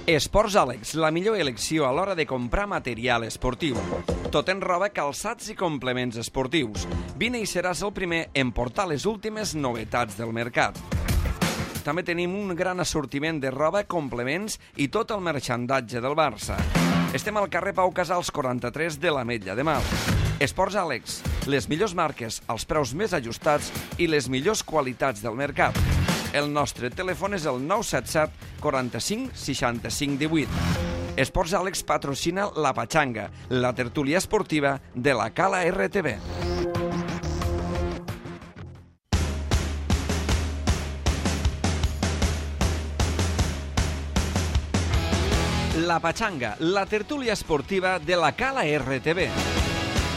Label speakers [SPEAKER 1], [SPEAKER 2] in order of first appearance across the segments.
[SPEAKER 1] Esports Àlex, la millor elecció a l'hora de comprar material esportiu. Tot en roba, calçats i complements esportius. Vine i seràs el primer en portar les últimes novetats del mercat. També tenim un gran assortiment de roba, complements i tot el marxandatge del Barça. Estem al carrer Pau Casals 43 de l'Ametlla de Mar. Esports Àlex, les millors marques, els preus més ajustats i les millors qualitats del mercat. El nostre telèfon és el 977 45 65 18. Esports Àlex patrocina La Pachanga, la tertúlia esportiva de la Cala RTV. La Pachanga, la tertúlia esportiva de la Cala RTV.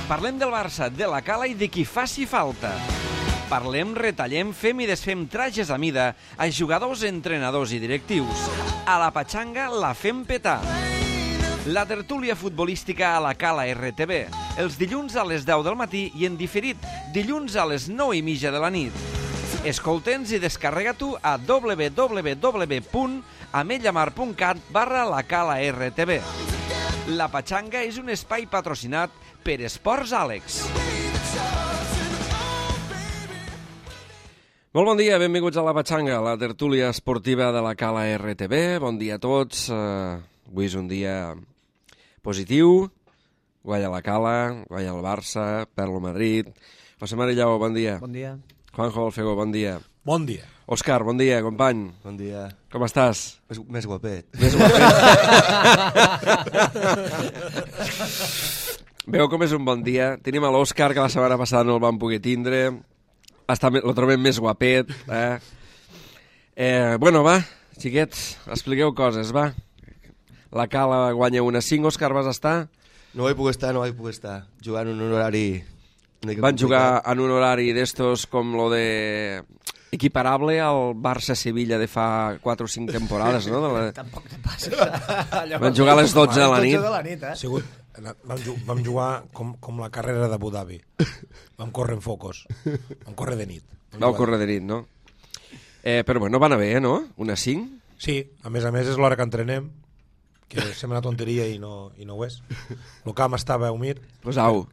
[SPEAKER 1] Parlem del Barça, de la Cala i de qui faci falta. Parlem, retallem, fem i desfem trajes a mida a jugadors, entrenadors i directius. A la Pachanga la fem petar. La tertúlia futbolística a la Cala RTV. Els dilluns a les 10 del matí i en diferit, dilluns a les 9:30 de la nit. Escolta'ns i descarrega-t'ho a www.ametllamar.cat/lacala-rtv. La Pachanga és un espai patrocinat per Esports Àlex. Molt bon dia, benvinguts a La Pachanga, la tertúlia esportiva de la Cala RTV. Bon dia a tots. Avui és un dia positiu. Guanya la Cala, guanya el Barça, perd el Madrid. José Marillao, bon dia.
[SPEAKER 2] Bon dia.
[SPEAKER 1] Juanjo Alfego, bon dia.
[SPEAKER 3] Bon dia.
[SPEAKER 1] Òscar, bon dia, company.
[SPEAKER 4] Bon dia.
[SPEAKER 1] Com estàs?
[SPEAKER 4] Més guapet.
[SPEAKER 1] Més guapet. Veu com és un bon dia. Tenim a l'Òscar, que la setmana passada no el vam poder tindre. Lo trobem més guapet. Bueno, va, xiquets, expliqueu coses, va. La Cala guanya 1-5. Òscar, vas estar?
[SPEAKER 4] No vaig poder estar. Jugant en un horari...
[SPEAKER 1] Van jugar en un horari d'estos com lo de... equiparable al Barça-Sevilla de fa 4 o 5 temporades, no?
[SPEAKER 2] Tampoc te passes.
[SPEAKER 1] Van jugar a les 12 de la nit.
[SPEAKER 3] Vam jugar com la carrera d'Abu Dhabi. Vam córrer en focos. Vam córrer de nit.
[SPEAKER 1] Vau córrer de nit, no? Però bueno, va anar bé, no? 1-5?
[SPEAKER 3] Sí, a més és l'hora que entrenem, que sembla una tonteria i no ho és. El camp estava humit.
[SPEAKER 1] Pues au.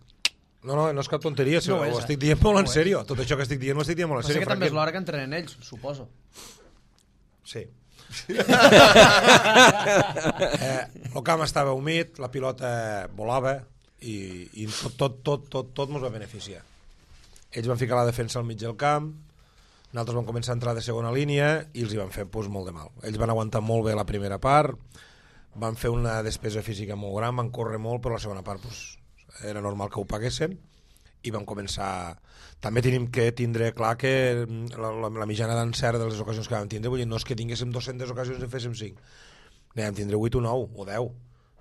[SPEAKER 3] No és cap tonteria, ho estic dient molt en sèrio. Tot això que estic dient ho estic dient molt en sèrio.
[SPEAKER 2] Però sí que també és l'hora que entrenen ells, suposo.
[SPEAKER 3] Sí. El camp estava humit, la pilota volava i tot mos va beneficiar. Ells van ficar la defensa al mig del camp, nosaltres vam començar a entrar de segona línia i els hi van fer molt de mal. Ells van aguantar molt bé la primera part, van fer una despesa física molt gran, van córrer molt, però la segona part era normal que ho paguessin i vam començar... També tenim que tindre clar que la mitjana d'encert de les ocasions que vam tindre, vull dir, no és que tinguéssim 200 ocasions i féssim 5, vam tindre 8 o 9 o 10,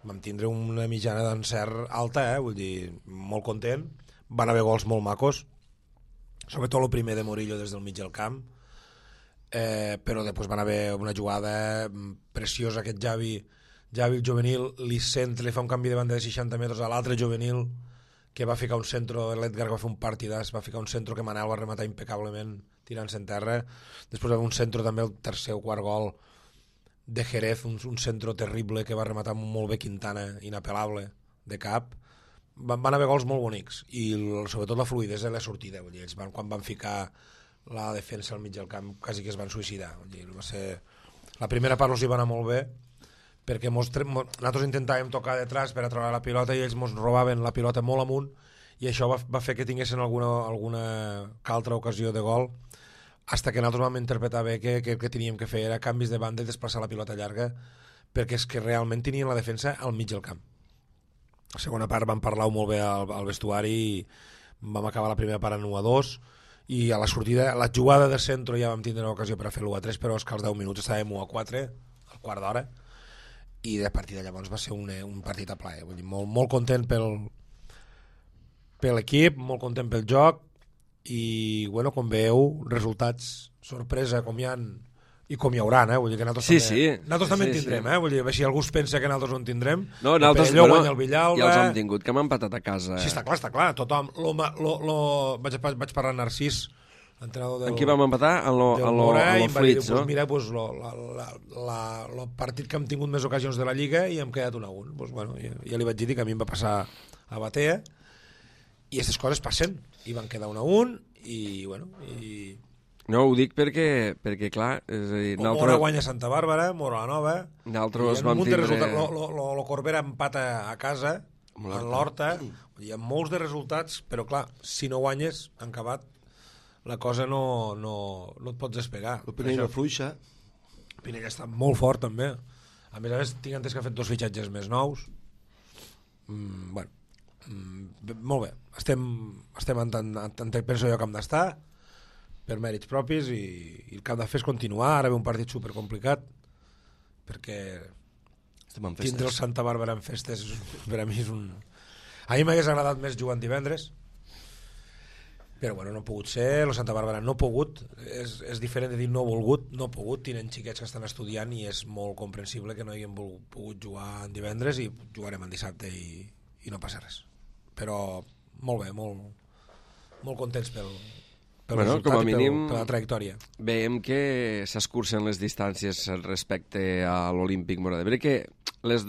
[SPEAKER 3] vam tindre una mitjana d'encert alta, vull dir, molt content, van haver gols molt macos, sobretot el primer de Murillo des del mig del camp, però després van haver una jugada preciosa, aquest Javi el juvenil, li fa un canvi de banda de 60 metres a l'altre juvenil, que va ficar un centro, l'Edgar va fer un partidàs, va ficar un centro que Manel va rematar impecablement tirant-se en terra. Després va haver un centro també, el tercer o quart gol de Jerez, un centro terrible que va rematar molt bé Quintana, inapel·lable, de cap. Van haver gols molt bonics i sobretot la fluïdesa de la sortida. Vull dir, ells quan van ficar la defensa al mig del camp quasi que es van suïcidar. Vull dir, la primera part els hi va anar molt bé, perquè nosaltres intentàvem tocar detrás per a trobar la pilota i ells ens robaven la pilota molt amunt i això va fer que tinguessin alguna altra ocasió de gol fins que nosaltres vam interpretar bé que el que teníem que fer era canvis de banda i desplaçar la pilota llarga perquè és que realment tenien la defensa al mig del camp. La segona part vam parlar molt bé al vestuari i vam acabar la primera part en 1-2 i a la sortida, la jugada de centre ja vam tindre l'ocasió per a fer l'1-3 però és que als 10 minuts estàvem 1-4 al quart d'hora i de partir de llavors va ser un partit a plaer. Vull dir, molt content per l'equip, molt content pel joc i, bueno, com veieu, resultats sorpresa com hi ha i com hi haurà, vull dir que nosaltres també en tindrem, vull dir, si algú es pensa que nosaltres no en tindrem,
[SPEAKER 1] nosaltres
[SPEAKER 3] guanya el Villalba...
[SPEAKER 1] Ja els hem tingut, que hem empatat a casa.
[SPEAKER 3] Sí, està clar, tothom, vaig parlar amb Narcís l'entrenador del...
[SPEAKER 1] En qui vam empatar? En
[SPEAKER 3] del Mora, i
[SPEAKER 1] lo
[SPEAKER 3] em va dir,
[SPEAKER 1] Flits, no?
[SPEAKER 3] mira, el partit que hem tingut més ocasions de la Lliga i hem quedat 1-1. Bueno, ja li vaig dir que a mi em va passar a Batea i aquestes coses passen. I van quedar 1-1 i, bueno...
[SPEAKER 1] No, ho dic perquè clar, és a dir...
[SPEAKER 3] Mora guanya Santa Bàrbara, Mora la Nova...
[SPEAKER 1] Nosaltres
[SPEAKER 3] vam tindre...
[SPEAKER 1] Lo
[SPEAKER 3] Corbera empata a casa, en l'Horta, hi ha molts de resultats, però clar, si no guanyes, en acabat, la cosa no et pots despegar.
[SPEAKER 4] El Pinell no fluixa.
[SPEAKER 3] El Pinell està molt fort, també. A més, tinc entès que ha fet 2 fitxatges més nous. Molt bé. Estem penso jo que hem d'estar, per mèrits propis, i el que hem de fer és continuar. Ara ve un partit supercomplicat, perquè tindre el Santa Bàrbara en festes per a mi és un... A mi m'hagués agradat més jugar en divendres, però bueno, no ha pogut ser. El Santa Bàrbara no ha pogut, és diferent de dir no ha volgut, no ha pogut. Tenen xiquets que estan estudiant i és molt comprensible que no hagin pogut jugar en divendres, i jugarem en dissabte i no passa res. Però molt bé, molt contents pel resultat, com a mínim, per la trajectòria.
[SPEAKER 1] Veiem que s'escurcen les distàncies respecte a l'Olímpic Móra d'Ebre, que les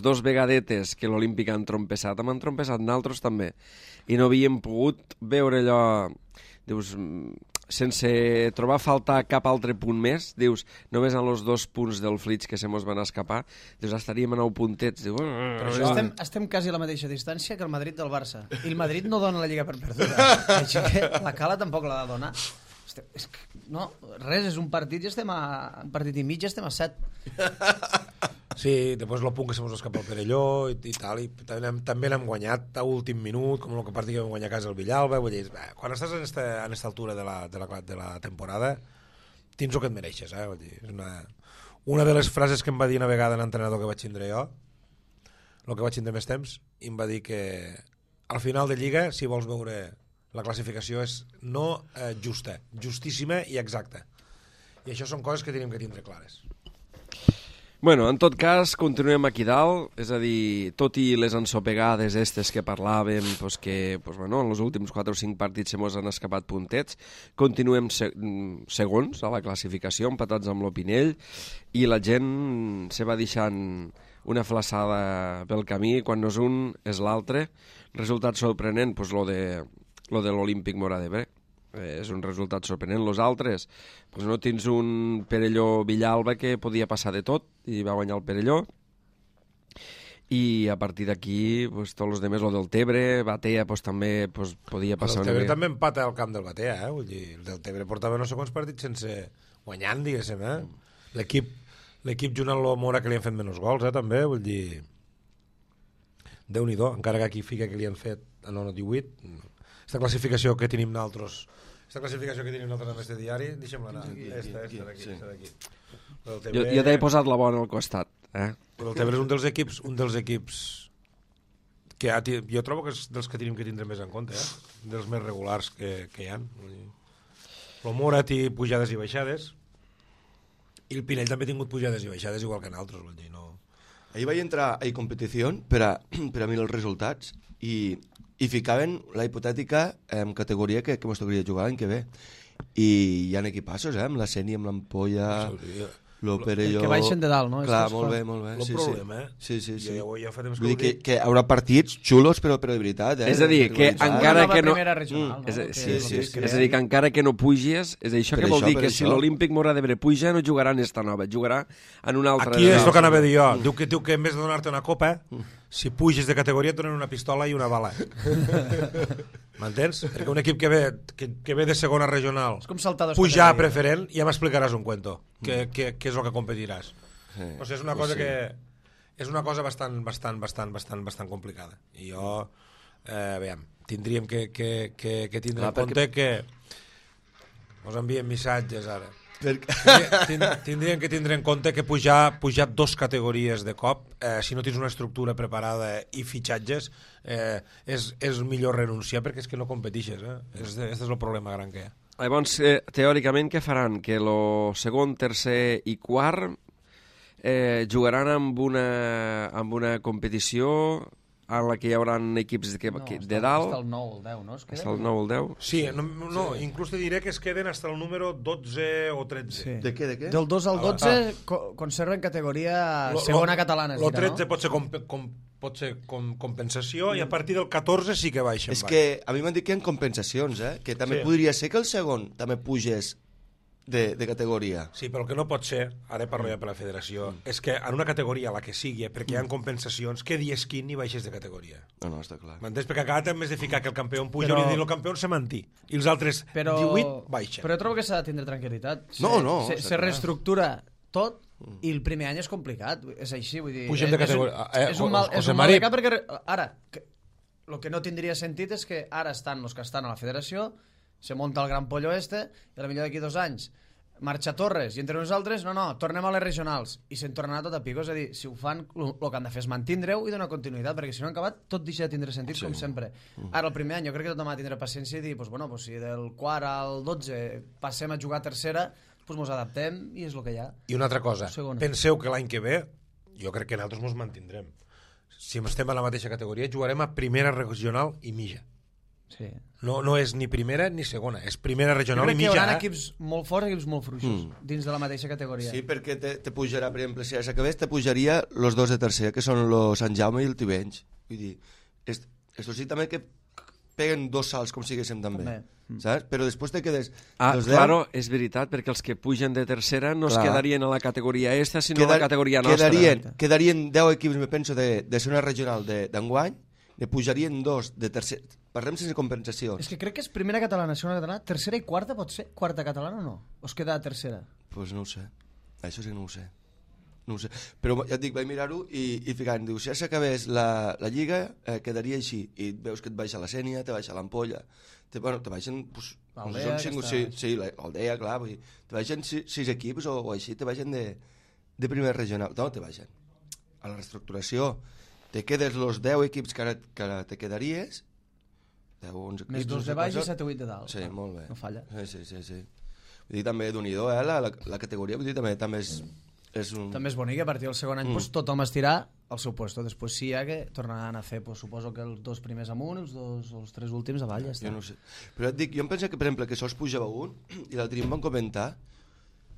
[SPEAKER 1] 2 vegadetes que l'Olímpic han trompessat, hem trompessat naltros també, i no havíem pogut veure allò, dius, sense trobar a faltar cap altre punt més, dius, només en els 2 punts del Flits que se mos van escapar, dius, estaríem a 9 puntets. Diu,
[SPEAKER 2] estem quasi a la mateixa distància que el Madrid del Barça, i el Madrid no dona la Lliga per perduda, així que la Cala tampoc l'ha de donar. No, res, és un partit i estem un partit i mig, estem a 7.
[SPEAKER 3] Sí, després el punt que se mos escapa el Perelló i tal, i també l'hem guanyat a últim minut, com el partit que vam guanyar a casa el Villalba. Vull dir, quan estàs en esta altura de la temporada, tens el que et mereixes, vull dir, és una de les frases que em va dir una vegada l'entrenador que vaig tindre jo, el que vaig tindre més temps, i em va dir que al final de Lliga, si vols veure la classificació, és no justa, justíssima i exacta, i això són coses que tenim que tindre clares.
[SPEAKER 1] Bueno, en tot cas, continuem aquí dalt, és a dir, tot i les ensopegades estes que parlàvem, pues que bueno, en els últims 4 o 5 partits se mos han escapat puntets, continuem segons a la classificació, empatats amb l'Opinell, i la gent se va deixant una flaçada pel camí, quan no és un és l'altre. Resultat sorprenent, pues lo de l'Olímpic Móra d'Ebre. És un resultat sorprenent. Los altres, pues no tens un Perelló-Villalba que podia passar de tot i va guanyar el Perelló, i a partir d'aquí pues, tots els demés, lo del Tebre, Batea pues, també pues, podia passar.
[SPEAKER 3] El Tebre també empata al camp del Batea, vull dir, el del Tebre portava no sé quants partits sense guanyant, diguéssim, l'equip junt amb el Mora que li han fet menys gols, també, vull dir, Déu-n'hi-do, encara que aquí fica que li han fet a 9-18, aquesta classificació que tenim nosaltres en este diari, deixem-la anar. Esta d'aquí.
[SPEAKER 1] Jo t'he posat la bona al costat.
[SPEAKER 3] Però el Tebre és un dels equips que jo trobo que és dels que tenim que tindre més en compte, dels més regulars que hi ha. El Mora té pujades i baixades, i el Pinell també ha tingut pujades i baixades igual que nosaltres, vull dir, no...
[SPEAKER 4] Ahir vaig entrar a competició per a mirar els resultats i ficaven la hipotètica categoria que mos tocaria jugar l'any que ve. I hi ha equipassos, amb la Seni, amb l'Ampolla, el Perelló...
[SPEAKER 2] Que baixen de dalt, no?
[SPEAKER 4] Clar, molt bé.
[SPEAKER 3] El problema,
[SPEAKER 4] Sí.
[SPEAKER 3] Ja fa temps
[SPEAKER 4] que vull dir que haurà partits xulos, però de veritat,
[SPEAKER 1] És a dir, que encara que no...
[SPEAKER 2] Regional, no?
[SPEAKER 1] És a dir, que encara que no puges, és això que vol dir que si l'Olímpic Móra d'Ebre puja, no jugarà en esta nova, jugarà en una altra...
[SPEAKER 3] Aquí és el que anava a dir jo. Diu que en vez de donar-te una copa, si puges de categoria et donen una pistola i una bala. M'entens? Perquè un equip que ve de segona regional, pujar a preferent, ja m'explicaràs un cuento, que és el que competiràs. O sigui, és una cosa que és una cosa bastant complicada. I jo, veiem, tindríem que tindre en compte que us envien missatges ara. Tindríem que tindre en compte que pujar 2 categories de cop, si no tens una estructura preparada i fitxatges, és millor renunciar, perquè és que no competixes. Este és el problema gran que hi ha.
[SPEAKER 1] Llavors, teòricament, què faran? Que el segon, tercer i quart jugaran amb una competició a la que hi haurà equips de dalt.
[SPEAKER 2] Està el 9, el 10, no?
[SPEAKER 1] Està el 9 o el 10.
[SPEAKER 3] Sí, no, inclús te diré que es queden hasta el número 12 o 13.
[SPEAKER 2] Sí.
[SPEAKER 4] De què?
[SPEAKER 2] Del 2 al 12 conserven categoria segona catalana.
[SPEAKER 3] El 13 pot ser compensació i a partir del 14 sí que baixen.
[SPEAKER 4] És que a mi m'han dit que hi ha compensacions, que també podria ser que el segon també pugés de categoria.
[SPEAKER 3] Sí, però el que no pot ser, ara parlo ja per la federació, és que en una categoria, la que sigui, perquè hi ha compensacions, que dies quin i baixes de categoria.
[SPEAKER 4] No, està clar.
[SPEAKER 3] M'entens? Perquè cada temps més de ficar que el campió puja i dir el campió se mantí. I els altres 18 baixen.
[SPEAKER 2] Però jo trobo que s'ha de tindre tranquil·litat. Se reestructura tot i el primer any és complicat. És així, vull dir...
[SPEAKER 3] Pugem de categoria.
[SPEAKER 2] És un mal mercat perquè ara, el que no tindria sentit és que ara estan els que estan a la federació, se monta el gran pollo i potser d'aquí 2 anys marxa Torres i entre nosaltres, tornem a les regionals i se'n tornarà tot a pico. És a dir, si ho fan, el que han de fer és mantindre-ho i donar continuïtat, perquè si no han acabat tot deixa de tindre sentit, com sempre. Ara, el primer any, jo crec que tothom ha de tindre paciència i dir, si del quart al 12 passem a jugar a tercera, doncs ens adaptem i és el que hi ha.
[SPEAKER 3] I una altra cosa, penseu que l'any que ve, jo crec que nosaltres ens mantindrem. Si estem a la mateixa categoria, jugarem a primera regional i mitja.
[SPEAKER 2] Sí.
[SPEAKER 3] No és ni primera ni segona, és primera regional i mitja.
[SPEAKER 2] Jo crec que hi haurà equips molt forts i equips molt fluixos dins de la mateixa categoria.
[SPEAKER 4] Sí, perquè te pujarà, per exemple, si s'acabés, te pujaria els dos de tercera, que són el Sant Jaume i el Tivenys. Vull dir, esto sí també que peguen 2 salts com siguéssim també. Saps? Però després te quedes...
[SPEAKER 1] Claro, és veritat, perquè els que pugen de tercera no es quedarien a la categoria esta, sinó a la categoria nostra.
[SPEAKER 4] Quedarien 10 equips, me penso, de segona regional d'enguany, ne pujarien 2 de tercera. Parlem sense compensació.
[SPEAKER 2] És que crec que és primera catalana, segona catalana, tercera i quarta pot ser? Quarta catalana o no? O es queda a tercera?
[SPEAKER 4] Doncs no ho sé. Això sí que no ho sé. No ho sé. Però ja et dic, vaig mirar-ho i ficant, diu, si ja s'acabés la lliga, quedaria així. I veus que et baixa la Sènia, te baixa l'Ampolla, te baixen...
[SPEAKER 2] L'Aldea,
[SPEAKER 4] sí, l'Aldea, clar, te baixen 6 equips o així, te baixen de primera regional. No, te baixen. A la reestructuració te quedes els 10 equips que ara te quedaries, 10 o 11 equips...
[SPEAKER 2] Més 2 de baix i 7 o 8 de dalt.
[SPEAKER 4] Sí, molt bé.
[SPEAKER 2] No falla.
[SPEAKER 4] Sí. Vull dir, també d'unidor, la categoria, vull dir, també és un...
[SPEAKER 2] També és bonic, a partir del segon any tothom estirà al seu puesto. Després sí que tornaran a fer, suposo que els 2 primers amunt, els 3 últims avall, ja està.
[SPEAKER 4] Jo no sé. Però et dic, jo em penso que, per exemple, que sols pujava un, i l'altre dia em van comentar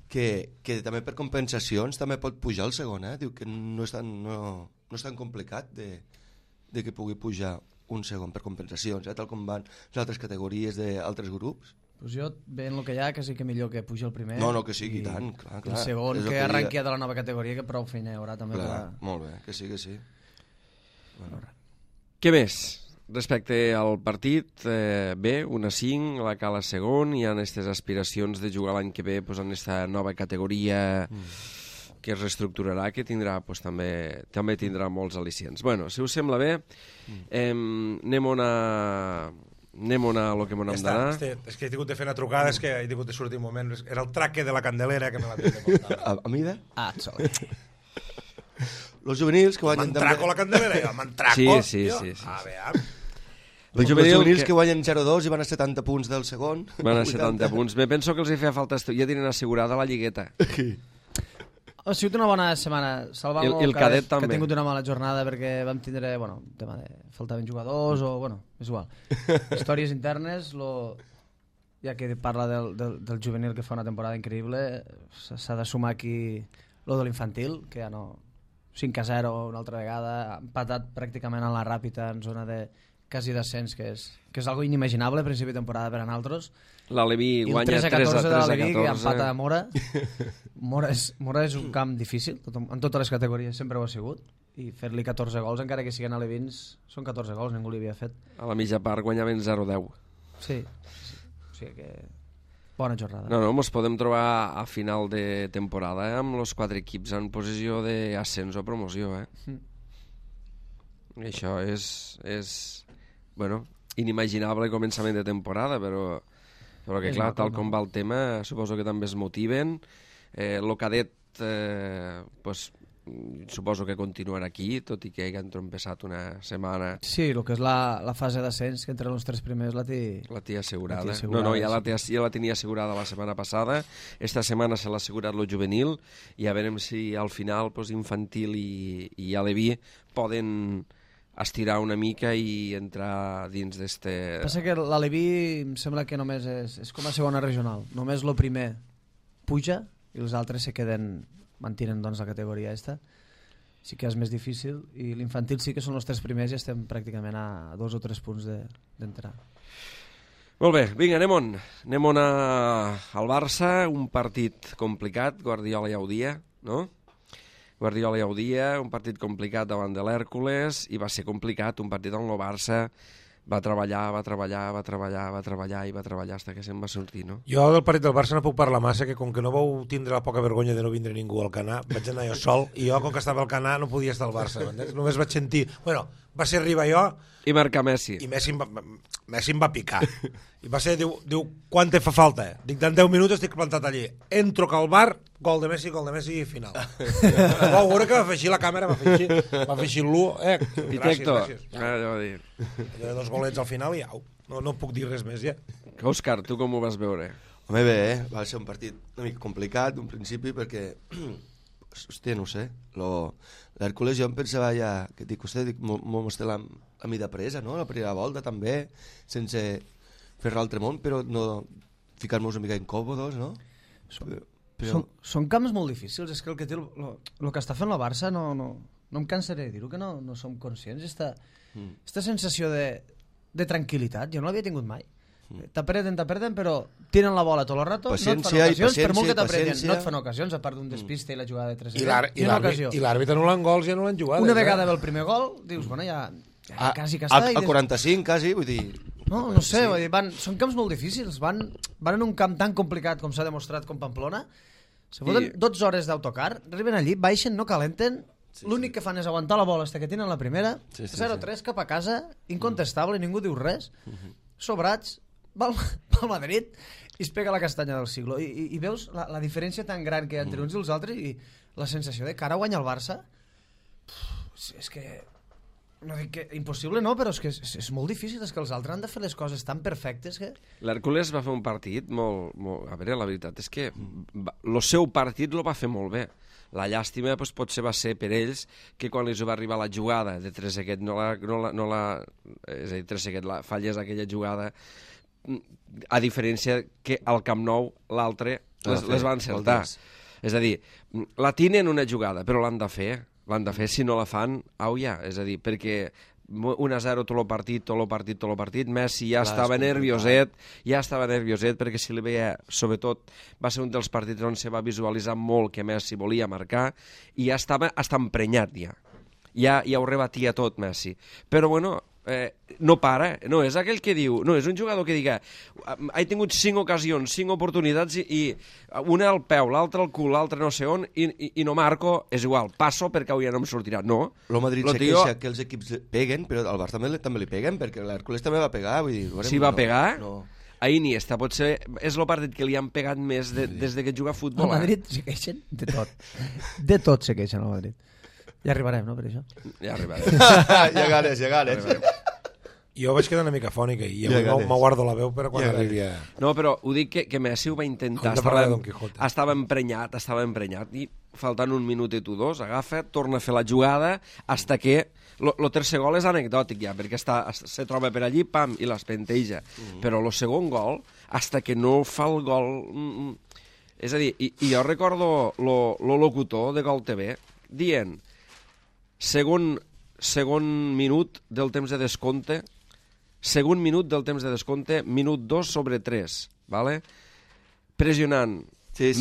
[SPEAKER 4] que també per compensacions també pot pujar el segon, Diu que no és tan complicat de que pugui pujar un segon per compensacions, tal com van les altres categories d'altres grups.
[SPEAKER 2] Pues jo, veient el que hi ha, quasi que millor que pugi el primer.
[SPEAKER 4] No, que sigui, tant, clar.
[SPEAKER 2] El segon, que arrenqui de la nova categoria, que prou feina hi haurà també.
[SPEAKER 4] Clar, molt bé, que sí.
[SPEAKER 1] Bueno. Què més? Respecte al partit, bé, 1-5, la cala segon, hi ha aquestes aspiracions de jugar l'any que ve en aquesta nova categoria que es reestructurarà, que tindrà, també tindrà molts al·licients. Bueno, si us sembla bé, anem a lo que m'ho hem d'anar.
[SPEAKER 3] És que he tingut de fer una trucada, és que he tingut de sortir un moment. Era el traque de la Candelera que me l'ha tingut de portar.
[SPEAKER 4] A mida?
[SPEAKER 3] Los juvenils que guanyen... Mantraco la Candelera, jo, mantraco.
[SPEAKER 1] Sí.
[SPEAKER 3] A veure...
[SPEAKER 4] Els juvenils que guanyen 0-2 i van a 70 punts del segon.
[SPEAKER 1] Van a 70 punts. Me penso que els hi feia falta... Ja tenen assegurada la lligueta.
[SPEAKER 2] Ha sigut una bona setmana. Salvant
[SPEAKER 1] el cadet també.
[SPEAKER 2] Que ha tingut una mala jornada perquè vam tindre, tema de faltaven jugadors o, és igual. Històries internes, ja que parla del juvenil que fa una temporada increïble, s'ha de sumar aquí lo de l'infantil, que ja no... 5-0 una altra vegada, empatat pràcticament en la ràpida en zona de quasi descens, que és algo inimaginable a principi de temporada per a nosaltres.
[SPEAKER 1] L'Aleví guanya 3-14.
[SPEAKER 2] De l'Aleví, que empata a Mora. Mora és un camp difícil, en totes les categories sempre ho ha sigut, i fer-li 14 gols, encara que siguin alevins, són 14 gols, ningú li havia fet.
[SPEAKER 1] A la mitja part guanyaven 0-10.
[SPEAKER 2] Sí, o sigui que... Bona jornada.
[SPEAKER 1] No, ens podem trobar a final de temporada amb els 4 equips en posició d'ascens o promoció. Això és inimaginable començament de temporada, però que clar, tal com va el tema, suposo que també es motiven. El cadet, suposo que continuarà aquí, tot i que han trompeçat una setmana.
[SPEAKER 2] Sí, el que és la fase d'ascens, que entre els 3 primers la té
[SPEAKER 1] assegurada. No, ja la tenia assegurada la setmana passada. Esta setmana se l'ha assegurat el juvenil i a veure si al final infantil i aleví poden estirar una mica i entrar dins d'este...
[SPEAKER 2] Passa que l'Aleví em sembla que només és com a segona regional. Només el primer puja i els altres se queden, mantenen doncs, la categoria esta. Sí que és més difícil i l'infantil sí que són els 3 primers i estem pràcticament a 2 o 3 punts d'entrar.
[SPEAKER 1] Molt bé, vinga, anem al Barça, un partit complicat, Guardiola ja ho dia, no? Guardiola ja ho dia, un partit complicat davant de l'Hèrcules, i va ser complicat, un partit on el Barça va treballar fins que se'n va sortir, no?
[SPEAKER 3] Jo del partit del Barça no puc parlar massa, que com que no vau tindre la poca vergonya de no vindre ningú al Canà, vaig anar jo sol, i jo com que estava al Canà no podia estar al Barça, només vaig sentir... Bueno, va ser arribar jo...
[SPEAKER 1] I marcar Messi.
[SPEAKER 3] I Messi em va picar. I va ser, diu, quan te fa falta? Dic, en 10 minuts estic plantat allí. Entro al bar, gol de Messi i final. Vau veure que va fer així la càmera, va fer així l'1. Gràcies.
[SPEAKER 1] Allò de
[SPEAKER 3] dir. 2 golets al final i au. No puc dir res més ja.
[SPEAKER 1] Òscar, tu com ho vas veure?
[SPEAKER 4] Home, bé, va ser un partit una mica complicat, un principi, perquè... Hòstia, no ho sé. L'Hèrcules jo em pensava ja... Que dic, hòstia, m'ho mostra la mida presa, no? La primera volta també, sense fer l'altre món, però no ficar-nos una mica incòmodos, no?
[SPEAKER 2] Són camps molt difícils. És que el que té el que està fent la Barça no em cansaré de dir-ho, que no som conscients. Esta sensació de tranquil·litat jo no l'havia tingut mai. T'apreten, però tiren la bola tot el rato, no et fan ocasions, per molt que t'apreten, no et fan ocasions, a part d'un despiste i la jugada de 3
[SPEAKER 3] I l'àrbitre no l'han gols, ja no l'han jugat.
[SPEAKER 2] Una vegada ve el primer gol, dius, bueno, ja quasi que està.
[SPEAKER 4] Al 45, quasi, vull dir...
[SPEAKER 2] No sé, vull dir, són camps molt difícils, van en un camp tan complicat com s'ha demostrat com Pamplona, se foten 12 hores d'autocar, arriben allí, baixen, no calenten, l'únic que fan és aguantar la bola fins que tenen la primera, 0-3 cap a casa, incontestable, ningú diu res, sobrats, va al Madrid i es pega la castanya del siglo. I veus la diferència tan gran que hi ha entre uns i els altres i la sensació de que ara guanya el Barça és que no dic que impossible no, però és que és molt difícil, és que els altres han de fer les coses tan perfectes que...
[SPEAKER 1] L'Hèrcules va fer un partit molt... A veure, la veritat és que el seu partit el va fer molt bé. La llàstima potser va ser per ells que quan els va arribar la jugada de Trezeguet és a dir, Trezeguet falles aquella jugada, a diferència que al Camp Nou l'altre les van encertar. És a dir, la tinen una jugada, però l'han de fer, si no la fan, au ja, és a dir, perquè 1-0 tot el partit, Messi ja estava nervioset, perquè si li veia, sobretot, va ser un dels partits on se va visualitzar molt que Messi volia marcar, i ja estava emprenyat ja ho rebatia tot Messi, però bueno, no para, no és aquell que diu, no, és un jugador que diga he tingut 5 ocasions, 5 oportunitats i una al peu, l'altra al cul, l'altra no sé on, i no marco, és igual, passo perquè avui ja no em sortirà, no.
[SPEAKER 4] El Madrid se queixa que els equips peguen, però al Barça també li peguen, perquè l'Hèrcules també va pegar, vull dir...
[SPEAKER 1] Sí, va pegar? No. A Iniesta potser és el partit que li han pegat més des que juga a futbol.
[SPEAKER 2] Al Madrid se queixen de tot. De tot se queixen al Madrid. Ja arribarem, no, per això?
[SPEAKER 1] Ja arribarem.
[SPEAKER 4] Llegares.
[SPEAKER 3] Jo vaig quedar una mica fònica i me guardo la veu per quan arribi a...
[SPEAKER 1] No, però ho dic que Messi ho va intentar. Estava emprenyat i faltant 1 minut i 2, agafa, torna a fer la jugada hasta que... El tercer gol és anecdòtic ja, perquè se troba per allí, pam, i l'espenteja. Però el segon gol, hasta que no fa el gol... És a dir, i jo recordo el locutor de Gol TV dient segon minut del temps de descompte, minut 2 sobre 3, ¿vale? Pressionant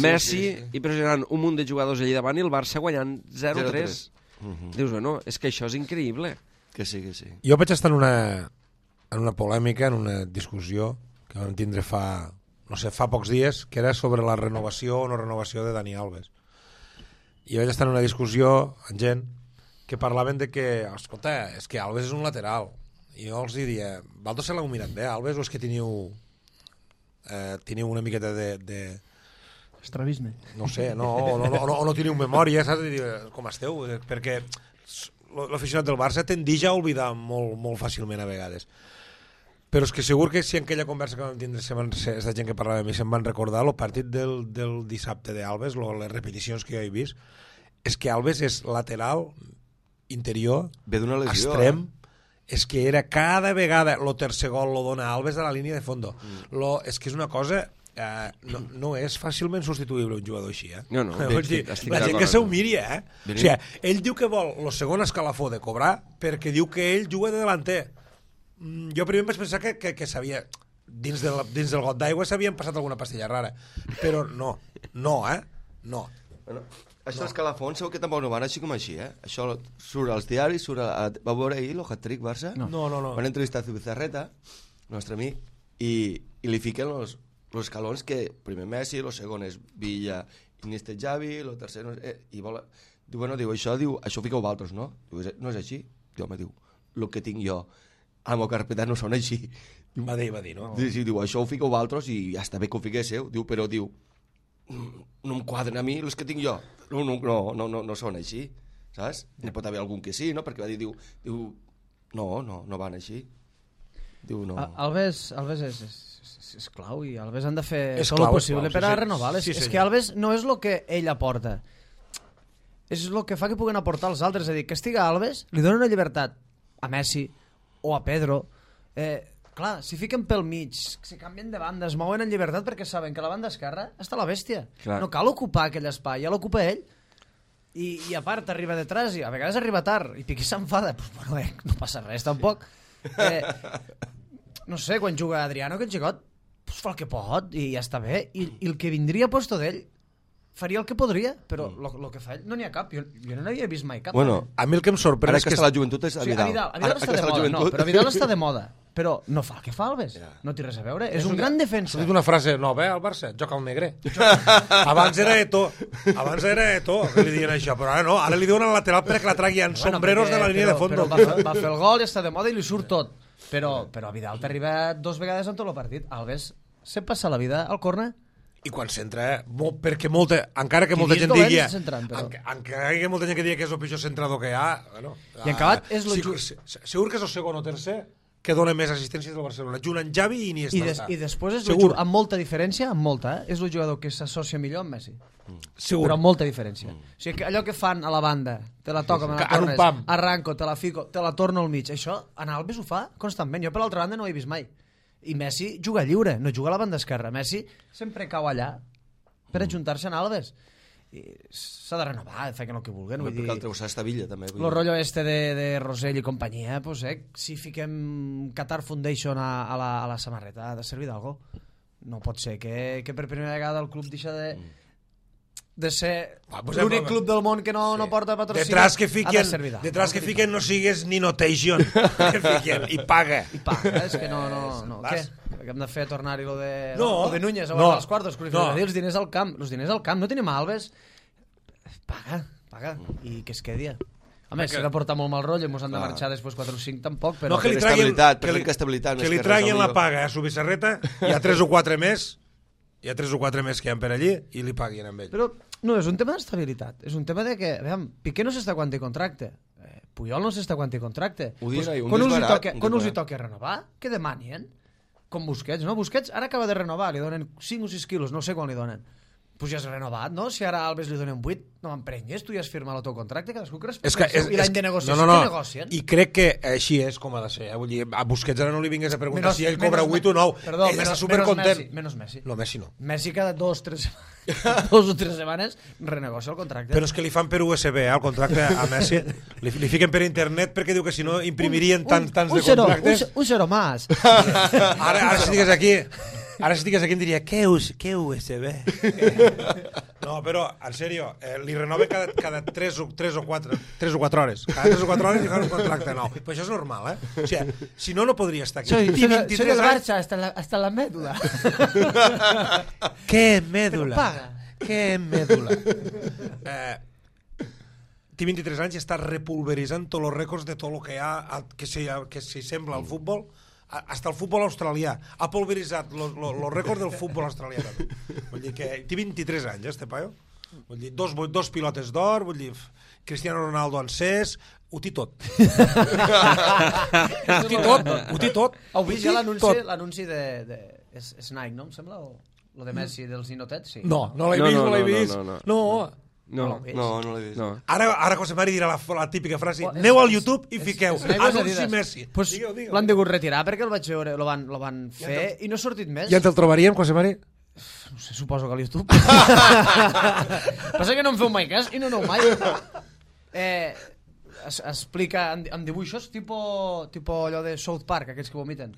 [SPEAKER 1] Messi i pressionant un munt de jugadors allà davant i el Barça guanyant 0-3. Dius, bueno, és que això és increïble.
[SPEAKER 4] Que sí.
[SPEAKER 3] Jo vaig estar en una polèmica, en una discussió que vam tindre fa pocs dies, que era sobre la renovació o no renovació de Dani Alves. I vaig estar en una discussió amb gent que parlaven de que, escolta, és que Alves és un lateral. I jo els diria, vosaltres se l'heu mirat bé, Alves, o és que teniu una miqueta de...
[SPEAKER 2] Estrabisme.
[SPEAKER 3] No sé, o no teniu memòria, saps? Com esteu? Perquè l'aficionat del Barça tendeix a oblidar molt fàcilment a vegades. Però és que segur que si en aquella conversa que vam tindre aquesta gent que parlava amb mi se'm van recordar el partit del dissabte d'Alves, les repeticions que jo he vist, és que Alves és lateral, interior,
[SPEAKER 4] lesió,
[SPEAKER 3] extrem, és que era cada vegada el tercer gol lo dona Alves a la línia de fondo. És que és una cosa... no és fàcilment substituïble un jugador així,
[SPEAKER 1] No,
[SPEAKER 3] la gent que s'ho miri, o sigui, ell diu que vol el segon escalafó de cobrar perquè diu que ell juga de delanter. Jo primer em vaig pensar que sabia dins del got d'aigua s'havien passat alguna pastilla rara, però no. Bueno,
[SPEAKER 4] això d'escalafons segur que tampoc no van així com així, Això surt als diaris, va veure ahir el hat-trick Barça?
[SPEAKER 3] No.
[SPEAKER 4] Van entrevistar a Zubizarreta, nostre amic, i li fiquen els escalons que primer Messi, el segon és Villa, Iniesta, Xavi, el tercer i vol... Diu, això ho fiqueu vosaltres, no? Diu, no és així? Diu, el que tinc jo a la meva carpeta no són així.
[SPEAKER 3] Va dir, no?
[SPEAKER 4] Sí, diu, això ho fiqueu vosaltres i ja està bé que ho fiquéssiu. Diu, però diu, no em quadren a mi els que tinc jo. No són així, saps? N'hi pot haver algun que sí, no? Perquè va dir, diu, no van així. Diu, no.
[SPEAKER 2] Alves és clau i Alves han de fer tot
[SPEAKER 3] clau,
[SPEAKER 2] el possible per a renovar. És que Alves no és el que ell aporta, és el que fa que puguen aportar els altres. És a dir, que estiga Alves li dona una llibertat a Messi o a Pedro. Clar, si fiquen pel mig, si canvien de banda, es mouen en llibertat perquè saben que la banda esquerra està la bèstia. Clar. No cal ocupar aquell espai, ja l'ocupa ell. I a part arriba detrás i a vegades arriba tard i Piqué s'enfada. Bueno, no passa res tampoc. No sé, quan juga Adriano, aquest xicot fa el que pot i ja està bé, i el que vindria a posto d'ell faria el que podria, però el que fa ell no n'hi ha cap, jo no n'havia vist mai cap.
[SPEAKER 4] Bueno,
[SPEAKER 3] a mi el que em sorprèn
[SPEAKER 4] és que està la joventut és a Vidal.
[SPEAKER 2] A Vidal està de moda, no, però Vidal està de moda, però no fa el que fa Alves, no té res a veure, és un gran defensa.
[SPEAKER 3] S'ha dit una frase nova, al Barça, joc al negre. Abans era Eto'o, que li diuen això, però ara no, ara li diuen al lateral perquè la tragui en sombreros de la línia de fondo.
[SPEAKER 2] Va fer el gol i està de moda i li surt tot. Però a Vidal t'arriba 2 vegades en tot el partit. Alves se passa la vida al córner.
[SPEAKER 3] I quan s'entra, perquè encara que molta gent digui encara que molta gent que digui que és el pitjor centrador que hi ha, bueno,
[SPEAKER 2] i en acabat és
[SPEAKER 3] segur que és el segon o tercer que dona més assistències del Barcelona, junt amb Xavi i Iniesta.
[SPEAKER 2] I després és amb molta diferència, és el jugador que s'associa millor amb Messi.
[SPEAKER 3] Segur.
[SPEAKER 2] Però amb molta diferència. O sigui, que allò que fan a la banda, te la toca, me la tornes, arranco, te la fico, te la torno al mig, això en Alves ho fa constantment. Jo per l'altra banda no ho he vist mai. I Messi juga lliure, no juga a la banda esquerra. Messi sempre cau allà per ajuntar-se en Alves. S'ha de renovar, facin el que vulguin.
[SPEAKER 4] Perquè el Treusà està Villa, també.
[SPEAKER 2] El rotllo de Rosell i companyia, si fiquem Qatar Foundation a la samarreta, ha de servir d'algo. No pot ser que per primera vegada el club deixa de ser l'únic club del món que no porta patrocini.
[SPEAKER 3] Detrás que fiquen no sigues ni notation. I paga.
[SPEAKER 2] És que no. Què? Hem de fer tornar-hi lo de Núñez a guardar els quartos. Els diners al camp. No tenim Alves. Paga. I que es quedi. A més, s'ha de portar molt mal rotllo i ens han de marxar després 4 o 5 tampoc.
[SPEAKER 3] No, que li traguin la paga a Zubizarreta i a 3 o 4 més. Hi ha 3 o 4 més que hi ha per allí i li paguin amb ell.
[SPEAKER 2] Però no, és un tema d'estabilitat. És un tema de que, veiem, Piqué no s'està quan té contracte. Puyol no s'està quan té contracte. Quan us hi toqui renovar, que demanien. Com Busquets, no? Busquets ara acaba de renovar, li donen 5 o 6 quilos, no sé quan li donen. Pues ja has renovat, no? Si ara a Alves li donen 8, no m'emprenyes, tu ja has firmat el teu contracte, cadascú que respecta el seu. I l'any de negociació, què negocien?
[SPEAKER 3] I crec que així és com ha de ser. Vull dir, a Busquets ara no li vingués a preguntar si ell cobra 8 o 9. Ell està supercontent.
[SPEAKER 2] Menys Messi.
[SPEAKER 3] No, Messi no.
[SPEAKER 2] Messi cada 2 o 3 setmanes renegocia el contracte.
[SPEAKER 3] Però és que li fan per USB, el contracte a Messi. Li fiquen per internet perquè diu que si no imprimirien tants de contractes.
[SPEAKER 2] Un zero más.
[SPEAKER 3] Ara si estigués aquí... Ara si estigués aquí em diria, què USB? No, però, en sèrio, li renoven cada 3 o 4 hores. Cada 3 o 4 hores li fan un contracte nou. Però això és normal, O sigui, si no podria estar aquí.
[SPEAKER 2] Soy del Barça hasta la médula.
[SPEAKER 3] ¿Qué médula? ¿Qué médula? Té 23 anys i està repulveritzant tots els rècords de tot el que hi ha que s'hi sembla al futbol. Hasta el futbol australià ha pulveritzat els rècords del futbol australià. Vull dir que té 23 anys, este paio. Vull dir, dos pilotes d'or, vull dir, Cristiano Ronaldo encès, ho té tot. Ho té tot.
[SPEAKER 2] Heu vist ja l'anunci de Nike, no? Em sembla? Lo de Messi dels ninotets, sí.
[SPEAKER 3] No l'he vist. No.
[SPEAKER 1] No l'he vist. No.
[SPEAKER 3] Ara José Mari dirà la típica frase: aneu al YouTube i fiqueu anunci Messi.
[SPEAKER 2] Pues l'han degut retirar perquè el vaig veure, lo van fer i no ha sortit més.
[SPEAKER 3] Ja ens el trobaríem, José Mari?
[SPEAKER 2] No sé, suposo que a YouTube. Passa que no em feu mai cas i no aneu mai. Explica amb dibuixos, tipo allò de South Park, aquests que vomiten.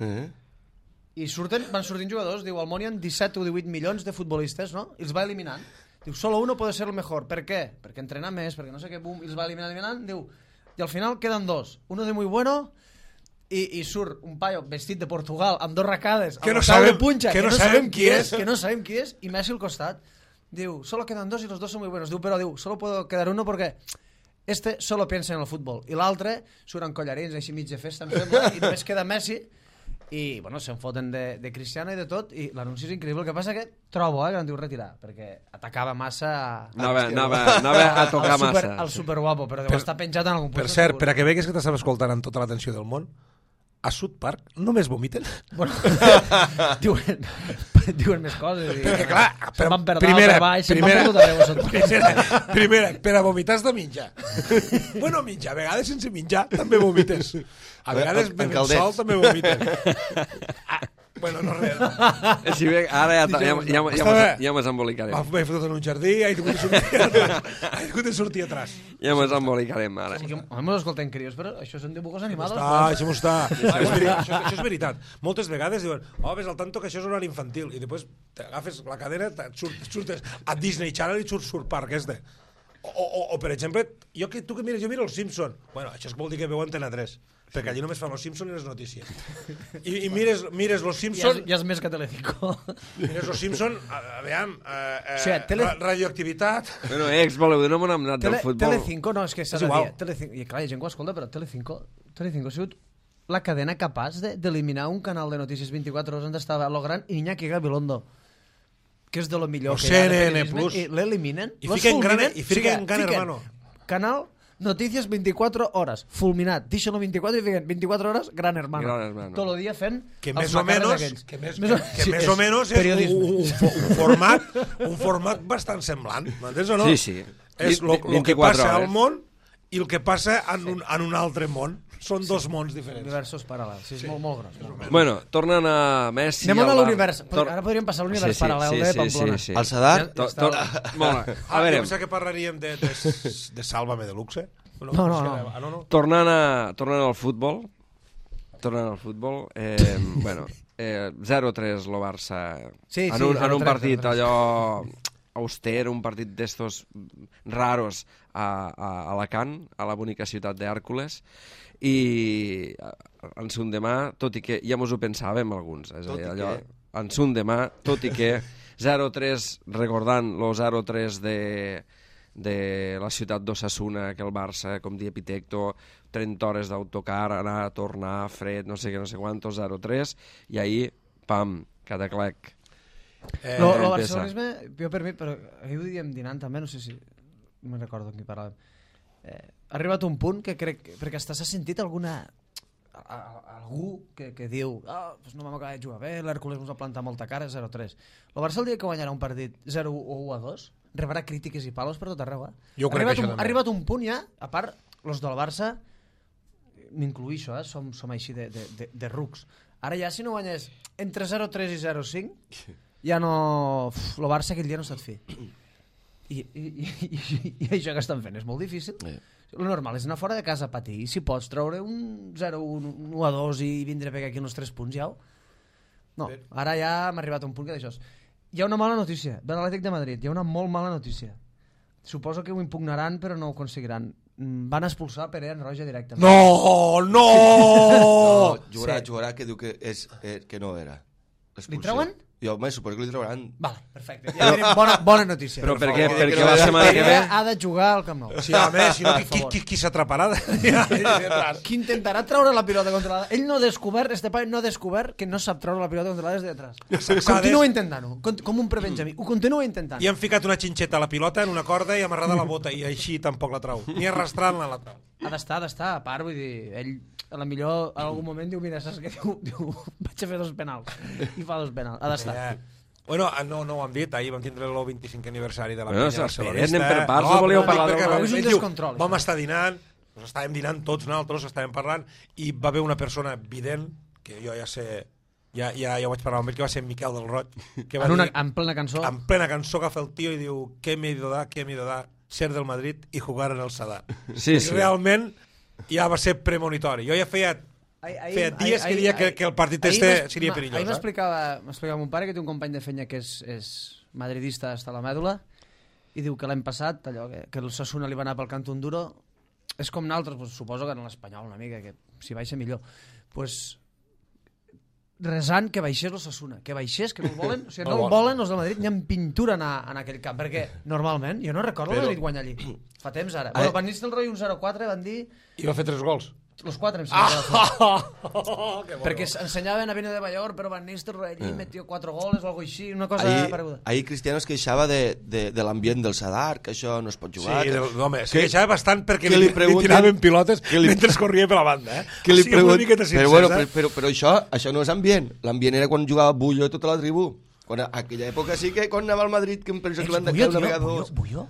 [SPEAKER 2] I van sortint jugadors, diu, al món hi ha 17 o 18 milions de futbolistes, no? I els va eliminant. Diu, solo uno puede ser el mejor. ¿Per què? Perquè entrena més, perquè no sé què, bum, i els va eliminant. Diu, i al final queden dos. Uno de muy bueno i surt un paio vestit de Portugal amb 2 racades,
[SPEAKER 3] que
[SPEAKER 2] no sabem qui és, i Messi al costat. Diu, solo quedan 2 y los 2 son muy buenos. Diu, però solo puedo quedar uno porque este solo piensa en el fútbol. I l'altre surt amb collarins, així mig de festa, em sembla, i només queda Messi. I, bueno, se'n foten de Cristiano i de tot, i l'anunci és increïble. El que passa que trobo que l'han diu retirar, perquè atacava massa...
[SPEAKER 1] Anava a tocar massa.
[SPEAKER 2] El superguapo, però deu estar penjat en algun punt.
[SPEAKER 3] Per cert, per a que vegues que t'estàs escoltant amb tota l'atenció del món, a South Park només vomiten?
[SPEAKER 2] Bueno, diuen més coses.
[SPEAKER 3] Perquè, clar,
[SPEAKER 2] se'n van per dalt, per baix, se'n van per tot arreu.
[SPEAKER 3] Primera, per a vomitar has de menjar. Bueno, menjar, a vegades sense menjar també vomites. A vegades bevent sol també vomites. Bueno, no res.
[SPEAKER 1] Si bé, ara ja m'has embolicarem.
[SPEAKER 3] M'he fotut en un jardí, he hagut de sortir atrás.
[SPEAKER 1] Ja m'has embolicarem, ara.
[SPEAKER 2] A mi m'escolten crios, però això són dibujos animados.
[SPEAKER 3] Això això és veritat. Moltes vegades diuen, ves al tanto que això és horari infantil, i després agafes la cadena, surtes a Disney Channel i surt Park, este. O per exemple, tu que mires, jo miro els Simpson. Bueno, això vol dir que veu Antena 3. Perquè allí només fan los Simpson i les notícies. I mires los Simpson...
[SPEAKER 2] Ja és més que Telecinco.
[SPEAKER 3] Mires los Simpson, aviam, radioactivitat...
[SPEAKER 1] Bueno, voleu dir, no m'han anat del futbol.
[SPEAKER 2] Telecinco, no, és que s'ha de dir. I clar, hi ha gent que ho escolta, però Telecinco ha sigut la cadena capaç d'eliminar un canal de notícies 24 hores on estava Logrand i Iñaki Gabilondo, que és de lo millor que hi ha de periodisme, i l'eliminen.
[SPEAKER 3] I fiquen gran hermano.
[SPEAKER 2] Canal Noticias 24 horas, fulminat. Deixen-lo 24 i fiquen 24 hores, Gran Hermano. Tot el dia fent
[SPEAKER 3] que més o menys és un format bastant semblant. M'entens o no?
[SPEAKER 1] Sí.
[SPEAKER 3] És el que passa al món i el que passa en un altre món. Són dos mons diferents.
[SPEAKER 2] Universos paral·lels. Sí, és molt gros.
[SPEAKER 1] Bueno, tornant a Messi...
[SPEAKER 2] Anem a l'univers. Ara podríem passar a l'univers paral·lel de Pamplona.
[SPEAKER 4] Al Sadar?
[SPEAKER 3] A veure... Pensa que parlaríem de Sálvame de Luxe?
[SPEAKER 2] No.
[SPEAKER 1] Tornant al futbol, bueno, 0-3 lo Barça en un partit allò auster, un partit d'estos raros a Alacant, a la bonica ciutat d'Hèrcules, i en son demà, tot i que ja mos ho pensàvem alguns, és a dir, allò, en son demà, tot i que 0-3, recordant lo 0-3 de la ciutat d'Osasuna, que el Barça, com dia Epitecto, 30 hores d'autocar, anar, tornar, fred, no sé què, no sé quantos, 0-3, i ahir, pam, cataclec.
[SPEAKER 2] El barcelonisme, jo per mi, però ahir ho diem dinant també, no sé si no me'n recordo amb qui parlàvem, ha arribat un punt que crec, perquè s'ha sentit algú que diu pues no vam acabar de jugar bé, l'Hèrcules ens va plantar molta cara, 0-3. El Barça el dia que guanyarà un partit 0-1-2 rebrà crítiques i palos per tot arreu.
[SPEAKER 3] Jo crec que això
[SPEAKER 2] ha arribat un punt ja, a part, els del Barça, m'incluïixo, som així de rucs. Ara ja, si no guanyes entre 0-3 i 0-5, ja no... El Barça aquell dia no se't fi. I això que estan fent és molt difícil. El normal és anar fora de casa a patir, i si pots treure un 0-1-2 i vindre a pegar aquí uns 3 punts, ja no, ara ja hem arribat a un punt que d'això. Hi ha una mala notícia de l'Atlètic de Madrid, hi ha una molt mala notícia. Suposo que ho impugnaran però no ho aconseguiran. Van expulsar Perea en roja directament.
[SPEAKER 3] No!
[SPEAKER 4] Jugarà que diu que no era.
[SPEAKER 2] Li treuen?
[SPEAKER 4] Jo me suposo que li trauran.
[SPEAKER 2] Vale, perfecte. Ja bona notícia.
[SPEAKER 1] Però per què? Perquè la setmana que ve
[SPEAKER 2] ha de jugar al Camp Nou.
[SPEAKER 3] Sí, a més, si no, qui s'atraparà?
[SPEAKER 2] Qui intentarà treure la pilota controlada? Ell no ha descobert, no ha descobert que no sap treure la pilota controlada des de detrás. Continua intentant-ho, com un prebenjamí. Ho continua intentant.
[SPEAKER 3] I han ficat una xinxeta a la pilota en una corda i amarrada a la bota, i així tampoc la trau. Ni arrastrant-la la trau.
[SPEAKER 2] Ha d'estar, a part, vull dir, ell a la millor en algun moment diu, mira, saps què diu? Vaig a fer 2 penals. I fa 2 penals. Ha d'estar.
[SPEAKER 3] Bueno, no ho hem dit, ahir vam tindre el 25 aniversari de la
[SPEAKER 1] Bueno,
[SPEAKER 3] penya
[SPEAKER 1] s'esperen,
[SPEAKER 3] barcelonista.
[SPEAKER 1] per parts, no volíeu parlar
[SPEAKER 3] perquè
[SPEAKER 1] del-
[SPEAKER 2] És un
[SPEAKER 3] ell diu,
[SPEAKER 2] descontrol,
[SPEAKER 3] vam
[SPEAKER 2] això.
[SPEAKER 3] estar dinant, estàvem dinant tots nosaltres, estàvem parlant, i va haver una persona vident, que jo ja sé, ja ho vaig parlar amb ell, que va ser Miquel del Roig, que va dir,
[SPEAKER 2] En plena cançó.
[SPEAKER 3] en plena cançó, agafa el tio i diu ¿qué me he ido dar? Ser del Madrid i jugar en el Sadar.
[SPEAKER 1] Sí,
[SPEAKER 3] I
[SPEAKER 1] sí.
[SPEAKER 3] realment ja va ser premonitori. Jo ja feia dies que dia que el partit este seria perillós.
[SPEAKER 2] Ahir m'explicava mon pare que té un company de fenya que és madridista hasta la mèdula i diu que l'any passat, allò que el Sasuna li va anar pel Cantón Duro, és com nosaltres, pues, suposo que en l'Espanyol una mica, que si baixa millor. Pues, resant que baixés el Sasuna, que baixés, que no el volen, o sigui, no el volen els del Madrid, ni en pintura en aquell camp, perquè normalment, jo no recordo el Madrid guanyar allí, fa temps ara. Bueno, Van Nistelrooy un 0-4 van dir,
[SPEAKER 3] I va fer 3 gols.
[SPEAKER 2] los 4 em sembla. Perquè ensenyaven a Vino de Bayor, però Van Nistelrooy allí metió 4 goles o alguna així, una cosa pareguda.
[SPEAKER 4] Ahir Cristiano es queixava de l'ambient del Sadar, que això no es pot jugar.
[SPEAKER 3] Sí,
[SPEAKER 4] que...
[SPEAKER 3] home, se queixava bastant perquè
[SPEAKER 4] que
[SPEAKER 3] li
[SPEAKER 4] pregunten-
[SPEAKER 3] tiraven pilotes mentre corria per la banda.
[SPEAKER 4] Que li
[SPEAKER 3] O sigui, una
[SPEAKER 4] pregun-
[SPEAKER 3] miqueta
[SPEAKER 4] però, bueno,
[SPEAKER 3] sincers,
[SPEAKER 4] però això no és ambient. L'ambient era quan jugava Bullo i tota la tribú. Quan a aquella època sí que quan anava al Madrid, que em penso que l'han tancat una vegada o dos.
[SPEAKER 2] Bulló?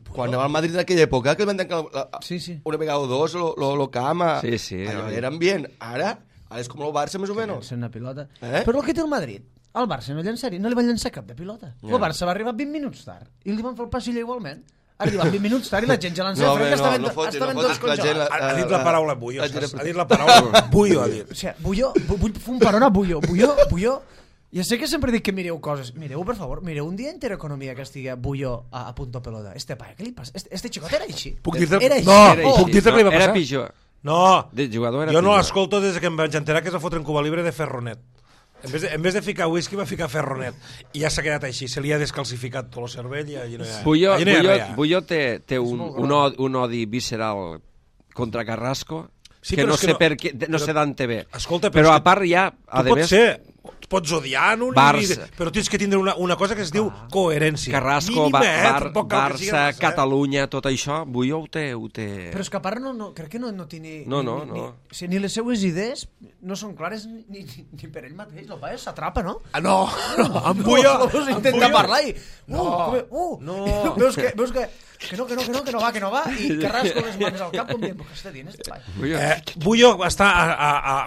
[SPEAKER 4] Quan anava al Madrid en aquella època, que el van tancar
[SPEAKER 2] Sí, sí.
[SPEAKER 4] una vegada o dos, lo cama.
[SPEAKER 1] Sí, sí.
[SPEAKER 4] Allò era ambient. Ara és com el Barça, més o menys.
[SPEAKER 2] Llença una pilota.
[SPEAKER 4] Eh?
[SPEAKER 2] Però el que té el Madrid, el Barça no llançaria, no li van llançar cap de pilota. El Barça va arribar 20 minuts tard i li van fer el passillo igualment. Ha arribat 20 minuts tard i la gent ja l'han
[SPEAKER 4] No,
[SPEAKER 2] fet, que estaven
[SPEAKER 4] fotis,
[SPEAKER 2] tots
[SPEAKER 4] que la gent...
[SPEAKER 2] congelats.
[SPEAKER 3] Ha dit la paraula bullo.
[SPEAKER 4] la gent-
[SPEAKER 3] Ha dit la paraula bullo, ha dit.
[SPEAKER 2] O sigui, Bulló, vull fer un parón a Bulló. Ja sé que sempre dic que mireu coses. Mireu, per favor, mireu un dia Intereconomia que estigui Bulló a punto pelota. Este paio, què li passa? Este xicot era així.
[SPEAKER 3] Puc dir-te...
[SPEAKER 2] Era així.
[SPEAKER 3] No,
[SPEAKER 1] Era
[SPEAKER 3] puc
[SPEAKER 1] així.
[SPEAKER 3] dir-te què li va
[SPEAKER 1] Era
[SPEAKER 3] passar?
[SPEAKER 1] pitjor.
[SPEAKER 3] No,
[SPEAKER 1] De jugador era
[SPEAKER 3] jo no
[SPEAKER 1] pitjor.
[SPEAKER 3] l'escolto des que em vaig enterar que es va fotre en Cuba Libre de Ferronet. En vez de ficar whisky va ficar Ferronet. I ja s'ha quedat així, se li ha descalcificat tot el cervell i allí no hi ha... allí no hi ha res.
[SPEAKER 1] Bulló té un odi visceral contra Carrasco
[SPEAKER 3] Sí,
[SPEAKER 1] que
[SPEAKER 3] però
[SPEAKER 1] no
[SPEAKER 3] és que
[SPEAKER 1] sé
[SPEAKER 3] no-
[SPEAKER 1] per què, no
[SPEAKER 3] però-
[SPEAKER 1] sé d'on te ve.
[SPEAKER 3] Escolta,
[SPEAKER 1] però
[SPEAKER 3] és
[SPEAKER 1] a
[SPEAKER 3] que
[SPEAKER 1] part ja, a
[SPEAKER 3] Tu pots
[SPEAKER 1] més,
[SPEAKER 3] ser... Pots odiar un
[SPEAKER 1] Barça.
[SPEAKER 3] però tens que tindre una cosa que es diu coherència.
[SPEAKER 1] Carrasco,
[SPEAKER 3] Mínima, tampoc cal que sigui
[SPEAKER 1] Barça,
[SPEAKER 3] massa,
[SPEAKER 1] Catalunya, tot això, Bulló ho té...
[SPEAKER 2] Però és que a part crec que no té ni...
[SPEAKER 1] No.
[SPEAKER 2] Ni les seues idees no són clares ni per ell mateix. El paio s'atrapa, no?
[SPEAKER 3] Ah, no, amb Bullo...
[SPEAKER 2] Veus, intenta parlar i...
[SPEAKER 3] no.
[SPEAKER 2] Veus que no va, i Carrasco les mans al cap com dient, què està dient este paio?
[SPEAKER 1] Bulló.
[SPEAKER 3] Bullo està,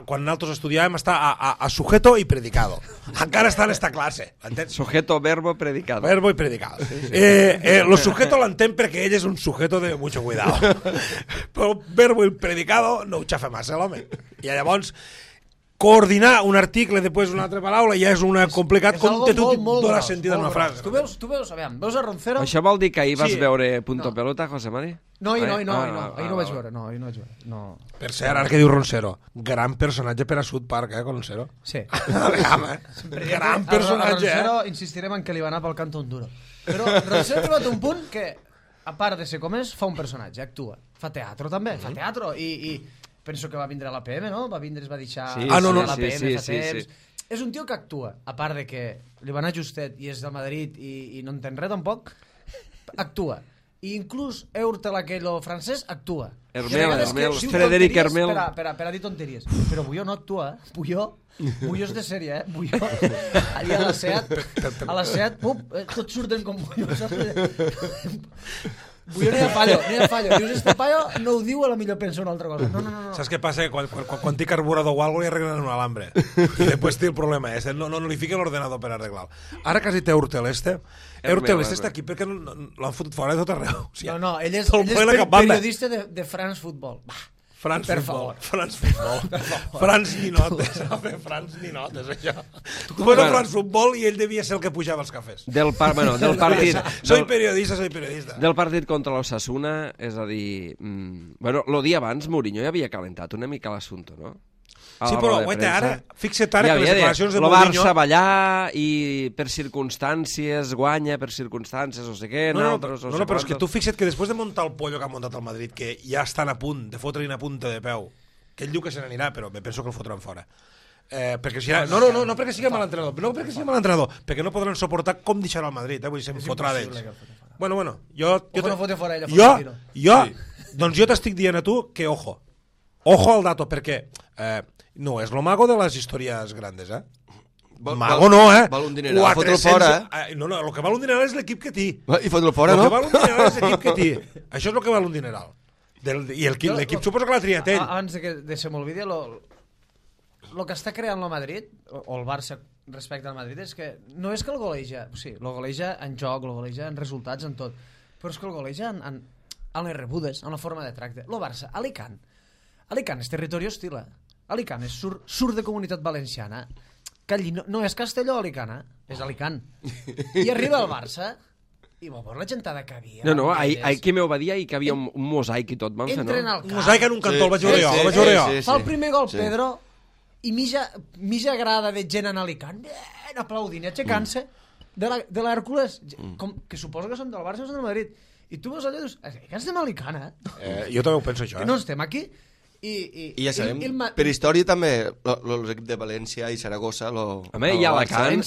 [SPEAKER 3] quan nosaltres estudiàvem, està a sujeto i predicado. Encara està en esta classe, entens?
[SPEAKER 1] Sujeto, verbo, predicado.
[SPEAKER 3] Verbo y predicado. Lo sujeto l'entén perquè ell és un sujeto de mucho cuidado. Però verbo i predicado no ho xafa massa, l'home. I llavors, coordinar un article després una altra paraula ja és una complicat
[SPEAKER 2] És algo
[SPEAKER 3] com tu
[SPEAKER 2] molt
[SPEAKER 3] donar
[SPEAKER 2] gros,
[SPEAKER 3] sentit a una
[SPEAKER 2] molt
[SPEAKER 3] frase.
[SPEAKER 2] gros. Tu veus, veus a Roncero?
[SPEAKER 1] Això vol dir que ahir vas
[SPEAKER 3] Sí.
[SPEAKER 1] veure Punto
[SPEAKER 2] No.
[SPEAKER 1] Pelota, José Mari?
[SPEAKER 2] No, ahir no vaig
[SPEAKER 1] vale.
[SPEAKER 2] veure. No, ahir no vaig veure. No.
[SPEAKER 3] Per cert, ara que diu Roncero, gran personatge per a South Park, Roncero?
[SPEAKER 2] Sí.
[SPEAKER 3] Gran personatge,
[SPEAKER 2] Roncero insistirem en que li va anar pel Cantón Duro. Però Roncero ha arribat a un punt que, a part de ser com és, fa un personatge, actua. Fa teatre també, fa teatre. I penso que va vindre a l'APM, no? Es va deixar
[SPEAKER 1] Sí,
[SPEAKER 3] Ah, no, no,
[SPEAKER 2] a l'APM
[SPEAKER 1] sí,
[SPEAKER 2] fa
[SPEAKER 1] sí,
[SPEAKER 2] temps.
[SPEAKER 1] sí.
[SPEAKER 2] És un tio que actua, a part de que li va anar justet i és del Madrid i no entén res tampoc, actua. I inclús Eurtel aquell francès actua.
[SPEAKER 1] Hermel,
[SPEAKER 2] I a vegades
[SPEAKER 1] Hermel,
[SPEAKER 2] que diu
[SPEAKER 1] Frederic
[SPEAKER 2] tonteries
[SPEAKER 1] Hermel.
[SPEAKER 2] Per a dir tonteries. Però Bulló no actua, eh? Bulló és de sèrie, eh? Bulló. Allà a la SEAT, tots surten com Bulló, saps? Bulló no hi ha fallo. Dius, este paio no ho diu, a la millor pensa una altra cosa. No.
[SPEAKER 3] Saps què passa? Quan té carburador o alguna cosa li arreglen un alambre. I després té el problema este. No li fica l'ordenador per arreglar-lo. Ara que has dit Eurtel este està aquí perquè l'han fotut fora de tot arreu. O sigui,
[SPEAKER 2] No, ell és
[SPEAKER 3] tot el ple la cap banda.
[SPEAKER 2] periodista de France Football.
[SPEAKER 3] France
[SPEAKER 2] Per
[SPEAKER 3] Football.
[SPEAKER 2] favor.
[SPEAKER 3] France Football. France Ninotes. France Ninotes, això. Tu vas a France Football i ell devia ser el que pujava els cafès.
[SPEAKER 1] Del partit...
[SPEAKER 3] Soy periodista.
[SPEAKER 1] Del partit contra l'Osasuna, és a dir... Bueno, el dia abans Mourinho ja havia calentat una mica l'assumpte, no?
[SPEAKER 3] Sí, però guaita, ara, fixa't ara que les declaracions de
[SPEAKER 1] el
[SPEAKER 3] Mourinho...
[SPEAKER 1] Barça va allà i per circumstàncies guanya, per circumstàncies no sé què,
[SPEAKER 3] No,
[SPEAKER 1] nosaltres no sé
[SPEAKER 3] però és que
[SPEAKER 1] quantos.
[SPEAKER 3] tu fixa't que després de muntar el pollo que ha muntat el Madrid, que ja estan a punt de fotre-hi una punta de peu, que ell diu que se n'anirà, però me penso que el fotran fora. Perquè si no perquè sigui mal entrenador, perquè no podran suportar com deixarà el Madrid, vull dir, se'm fotrà d'ells. Bueno, jo t'estic dient a tu que ojo al dato, perquè no és lo mago de les històries grandes, Mago no,
[SPEAKER 4] Val un dineral, fotre'l fora,
[SPEAKER 3] No, el que val un dineral és l'equip que té.
[SPEAKER 4] I fotre'l fora,
[SPEAKER 3] El
[SPEAKER 4] no?
[SPEAKER 3] que val un dineral és l'equip que té. Això és el que val un dineral. I l'equip suposo que l'ha triat ell.
[SPEAKER 2] Abans de se m'olvidi, el que està creant el Madrid, o el Barça respecte al Madrid, és que no és que el goleja, sí, el goleja en joc, el goleja en resultats, en tot, però és que el goleja en les rebudes, en la forma de tracte. El Barça, Alicant és territori hostil. Alicant és surt de Comunitat Valenciana. Calli, no és Castelló, Alicant, és Alicant. I arriba el Barça i va veure la gentada que havia.
[SPEAKER 5] No, ahir qui m'ho va dir, ahir que havia un mosaic i tot, van fer, no?
[SPEAKER 2] Entren al camp.
[SPEAKER 3] Un mosaic en un cantó, el vaig veure jo.
[SPEAKER 2] Fa el primer gol, Pedro, i mitja grada de gent en Alicant, aplaudint, aixecant-se de l'Hèrcules, que suposo que són del Barça o són del Madrid. I tu veus allò i dius, que estem a Alicant,
[SPEAKER 3] Jo també ho penso, això.
[SPEAKER 2] No estem aquí.
[SPEAKER 4] I ja sabem, per història també, els equips de València i Saragossa...
[SPEAKER 5] Home, i Alacant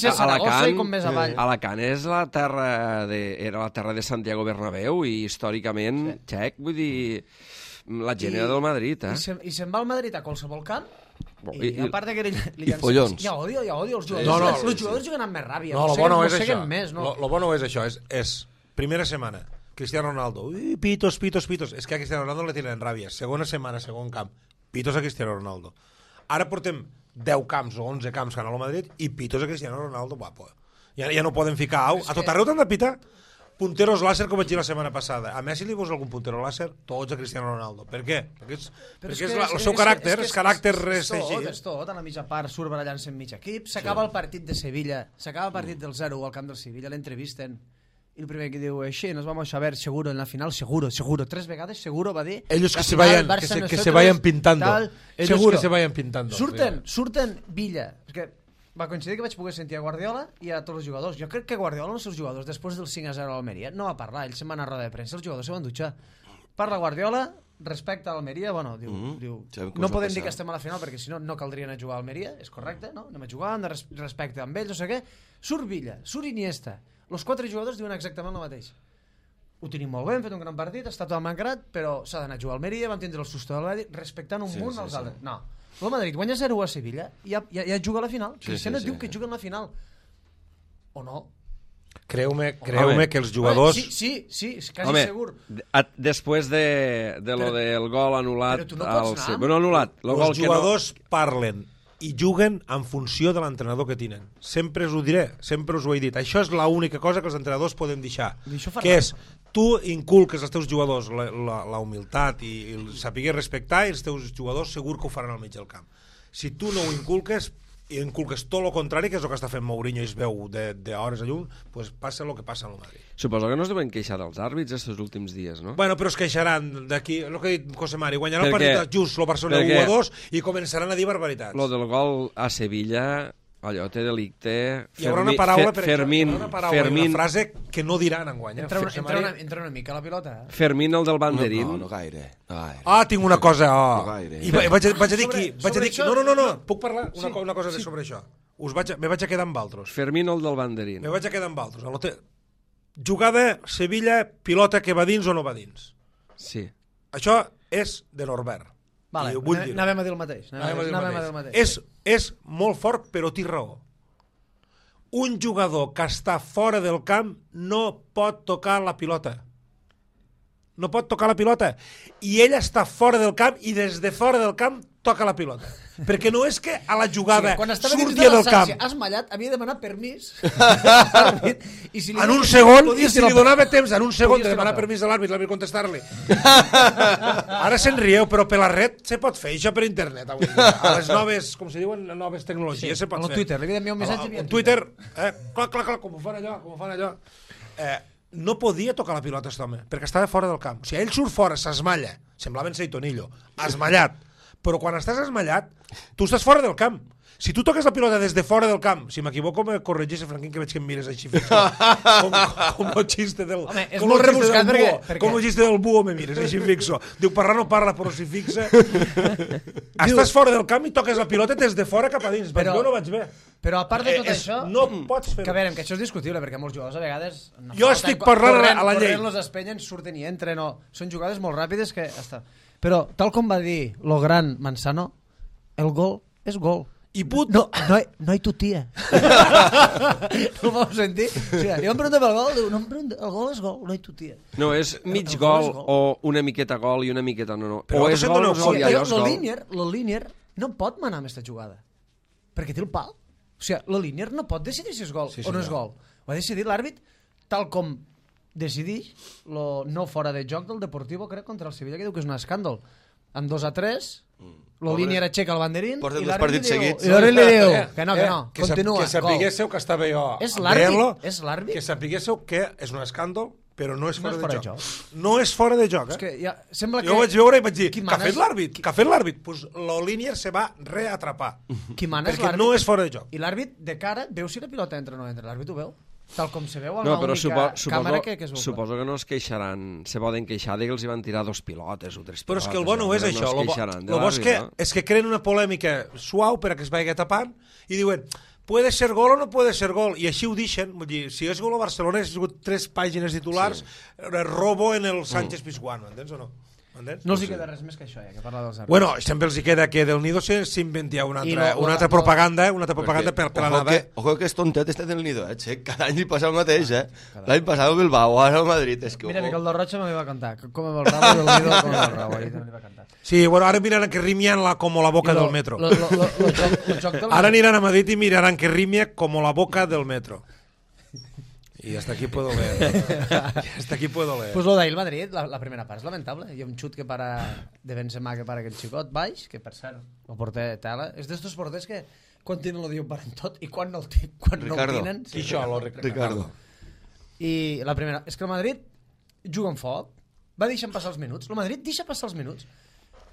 [SPEAKER 2] Alacant
[SPEAKER 5] és la terra era la terra de Santiago Bernabéu i històricament, xec, vull dir, la gent era del Madrid,
[SPEAKER 2] I se'n va al Madrid a qualsevol camp. I a part que
[SPEAKER 4] i follons.
[SPEAKER 2] Ja odio els jugadors. Els jugadors juguen amb més ràbia.
[SPEAKER 3] No, el bo no és això. El bo no és això. És primera setmana. Cristiano Ronaldo, pitos. És que a Cristiano Ronaldo le tienen ràbia. Segona setmana, segon camp, pitos a Cristiano Ronaldo. Ara portem 10 camps o 11 camps que han al Madrid i pitos a Cristiano Ronaldo. Ja no poden ficar au. A tot arreu t'han de pitar punteros láser, com vaig dir la setmana passada. A Messi li vols algun puntero láser? Tots a Cristiano Ronaldo. Per què? Perquè és el seu caràcter, és caràcter així.
[SPEAKER 2] És tot, a la mitja part surt barallant-se en mig equip, s'acaba el partit de Sevilla, s'acaba el partit del 0 al camp del Sevilla, l'entrevisten, i el primer que diu, nos vamos a ver seguro en la final, seguro, 3 vegades seguro va dir.
[SPEAKER 3] Ellos que se vayan pintando. Ellos que se vayan pintando.
[SPEAKER 2] Surten Villa, perquè va coincidir que vaig poder sentir a Guardiola i a tots els jugadors. Jo crec que Guardiola, els seus jugadors, després del 5-0 a l'Almeria, no va parlar, ell se'n va anar a roda de premsa, els jugadors se van dutxar. Parla Guardiola, respecte a l'Almeria, bueno, diu no podem dir que estem a la final perquè si no, no caldria anar a jugar a Almeria, és correcte, no? Anem a jugar, hem de respecte amb ells, no sé què. Surt Villa, surt Iniesta, els 4 jugadors diuen exactament el mateix. Ho tenim molt bé, hem fet un gran partit, està tot mancrat, però s'ha d'anar a jugar a Almeria, vam tindre el susto del Madrid, respectant un munt als altres. No, el Madrid guanya 0 a Sevilla i ja juga a la final. Cristiano diu que juga en la final. O no?
[SPEAKER 3] Creu-me que els jugadors...
[SPEAKER 2] Sí, és quasi segur.
[SPEAKER 5] Després de lo del gol anul·lat...
[SPEAKER 2] Però tu no pots anar.
[SPEAKER 5] Bueno, anul·lat.
[SPEAKER 3] Els jugadors parlen i juguen en funció de l'entrenador que tenen. Sempre us ho diré, sempre us ho he dit. Això és l'única cosa que els entrenadors poden deixar. Que és, tu inculques als teus jugadors la humilitat i saber respectar, i els teus jugadors segur que ho faran al mig del camp. Si tu no ho inculques tot el contrari, que és el que està fent Mourinho i es veu d'hores a llum, doncs passa el que passa al Madrid.
[SPEAKER 5] Suposo que no es deuen queixar dels àrbits aquests últims dies, no?
[SPEAKER 3] Bueno, però es queixaran d'aquí, el que ha dit José Mari, guanyaran el partit just el Barcelona 1-2 i començaran a dir barbaritats.
[SPEAKER 5] Lo del gol a Sevilla, allò té delicte...
[SPEAKER 3] Hi haurà una paraula,
[SPEAKER 5] una
[SPEAKER 3] frase que no diran enguany.
[SPEAKER 2] Entra una mica la pilota.
[SPEAKER 5] Fermín, el del banderín.
[SPEAKER 4] No gaire.
[SPEAKER 3] Tinc una cosa.
[SPEAKER 4] Gaire.
[SPEAKER 3] I vaig a dir aquí... No, puc parlar una cosa sobre això? Me vaig a quedar amb altres.
[SPEAKER 5] Fermín, el del banderín.
[SPEAKER 3] Me vaig a quedar amb altres. Jugada, Sevilla, pilota que va dins o no va dins.
[SPEAKER 5] Sí.
[SPEAKER 3] Això és de Norbert.
[SPEAKER 2] Vale, anàvem a dir el mateix.
[SPEAKER 3] És molt fort, però té raó. Un jugador que està fora del camp no pot tocar la pilota. No pot tocar la pilota. I ell està fora del camp i des de fora del camp toca la pilota. Perquè no és que a la jugada surti del camp.
[SPEAKER 2] Has mallat, havia de demanar permís.
[SPEAKER 3] En un segon, i si li donava temps, en un segon de demanar permís a l'àrbit, l'àrbit contestar-li. Ara se'n rieu, però per la red se pot fer això per internet. A les noves, com se diuen, noves tecnologies se pot fer.
[SPEAKER 2] A Twitter, li havia d'enviar un missatge.
[SPEAKER 3] En Twitter, clar, com ho fan allò. No podia tocar la pilota aquest home, perquè estava fora del camp. O sigui, ell surt fora, s'esmalla, semblava en Seitonillo, esmallat. Però quan estàs esmallat, tu estàs fora del camp. Si tu toques la pilota des de fora del camp, si m'equivoco me corregeix, Franquín, que veig que em mires així fixo. Com el xiste del...
[SPEAKER 2] Home, és molt rebuscat perquè...
[SPEAKER 3] Com el xiste del búho me mires així fixo. Diu, parlar no parla, però si fixa... Estàs fora del camp i toques la pilota des de fora cap a dins. Vaig bé o no vaig bé?
[SPEAKER 2] Però a part de tot això...
[SPEAKER 3] No pots fer...
[SPEAKER 2] Que a veure, que això és discutible, perquè molts jugadors a vegades...
[SPEAKER 3] Jo estic parlant a la llei.
[SPEAKER 2] Corrent, los espenyen, surten i entren, són jugades molt ràpides que... Però, tal com va dir lo gran Manzano, el gol és gol.
[SPEAKER 3] i put...
[SPEAKER 2] No hi tutia. No ho vau sentir? O sigui, jo em pregunto pel gol, diu, no em pregunto, el gol és gol, no hi tutia.
[SPEAKER 5] No, és mig
[SPEAKER 2] El
[SPEAKER 5] gol
[SPEAKER 2] gol és gol.
[SPEAKER 5] o una miqueta gol i una miqueta no.
[SPEAKER 3] Però
[SPEAKER 5] O és
[SPEAKER 3] vosaltres
[SPEAKER 5] gol o
[SPEAKER 3] no
[SPEAKER 5] és
[SPEAKER 3] ho
[SPEAKER 5] gol i allò és gol.
[SPEAKER 2] Lo Línier no pot manar amb aquesta jugada, perquè té el pal. O sigui, la Línier no pot decidir si és gol o no és gol. Ho ha decidit l'àrbit tal com decideix lo no fora de joc del Deportivo, crec, contra el Sevilla, que diu que és un escàndol. Amb 2-3, la Línier aixeca el banderín
[SPEAKER 4] Porten
[SPEAKER 2] i
[SPEAKER 4] dos
[SPEAKER 2] l'àrbit
[SPEAKER 4] partits
[SPEAKER 2] li diu,
[SPEAKER 4] seguits.
[SPEAKER 2] i l'àrbit li diu que no, continua,
[SPEAKER 3] Que sapiguéssiu que estava jo
[SPEAKER 2] És l'àrbit,
[SPEAKER 3] veient-lo,
[SPEAKER 2] és l'àrbit.
[SPEAKER 3] que sapiguéssiu que és un escàndol, però no és
[SPEAKER 2] No
[SPEAKER 3] fora,
[SPEAKER 2] és fora
[SPEAKER 3] de
[SPEAKER 2] de
[SPEAKER 3] joc.
[SPEAKER 2] joc.
[SPEAKER 3] No és fora de joc,
[SPEAKER 2] És que ja, sembla que...
[SPEAKER 3] Jo ho vaig veure i vaig dir,
[SPEAKER 2] Qui
[SPEAKER 3] que ha
[SPEAKER 2] mana
[SPEAKER 3] fet
[SPEAKER 2] és-
[SPEAKER 3] l'àrbit? Que ha fet l'àrbit? Pues la Línier se va reatrapar.
[SPEAKER 2] Qui mana és
[SPEAKER 3] Perquè
[SPEAKER 2] l'àrbit.
[SPEAKER 3] no és fora de joc.
[SPEAKER 2] I l'àrbit de cara veu si la pilota entra o no entra. L'àrbit ho veu. Tal com se veu amb
[SPEAKER 5] No, però
[SPEAKER 2] l'única càmera que es veu.
[SPEAKER 5] suposo que no es queixaran, se poden queixar de que els hi van tirar 2 pilotes o 3 pilotes.
[SPEAKER 3] Però és que el bo no és
[SPEAKER 5] no
[SPEAKER 3] això.
[SPEAKER 5] es
[SPEAKER 3] El
[SPEAKER 5] queixaran de
[SPEAKER 3] bo és que,
[SPEAKER 5] l'àrbit,
[SPEAKER 3] és que creen una polèmica suau per a que es vagi tapant i diuen, puede ser gol o no puede ser gol, i així ho deixen. Vull dir, si és gol a Barcelona, ha sigut 3 pàgines titulars, robo en el Sánchez Pizjuán, m'entens o no? M'entens?
[SPEAKER 2] No els hi queda res més que això, que parla dels àrbits.
[SPEAKER 3] Bueno, sempre els hi queda que del Nido s'inventia una
[SPEAKER 2] I
[SPEAKER 3] altra propaganda, per l'anada.
[SPEAKER 4] Ojo que és tontet este del Nido, Che. Cada any li passa el mateix, L'any passat el Bilbao, ara el Madrid. És que,
[SPEAKER 2] Mira,
[SPEAKER 4] ojo.
[SPEAKER 2] Miquel del Rocha me va cantar. Com amb el rabo del Nido, com amb el rabo. Ahí també li va cantar.
[SPEAKER 3] Sí, bueno, ara miraran que rimien como la boca del metro.
[SPEAKER 2] Lo joc del...
[SPEAKER 3] Ara aniran a Madrid y mirarán que rimia como la boca del metro. Y hasta aquí puedo leer. Hasta aquí puedo leer.
[SPEAKER 2] Pues lo d'ahir el Madrid, la primera part és lamentable. Hi ha un xut que para de Benzema que para aquell xicot baix, que per cert, el porter tela. És d'estos porters que quan tenen lo diuen paren tot i quan no el tenen...
[SPEAKER 3] Qui això,
[SPEAKER 4] Ricardo.
[SPEAKER 2] I la primera, és que el Madrid juga amb foc, va deixant passar els minuts, el Madrid deixa passar els minuts,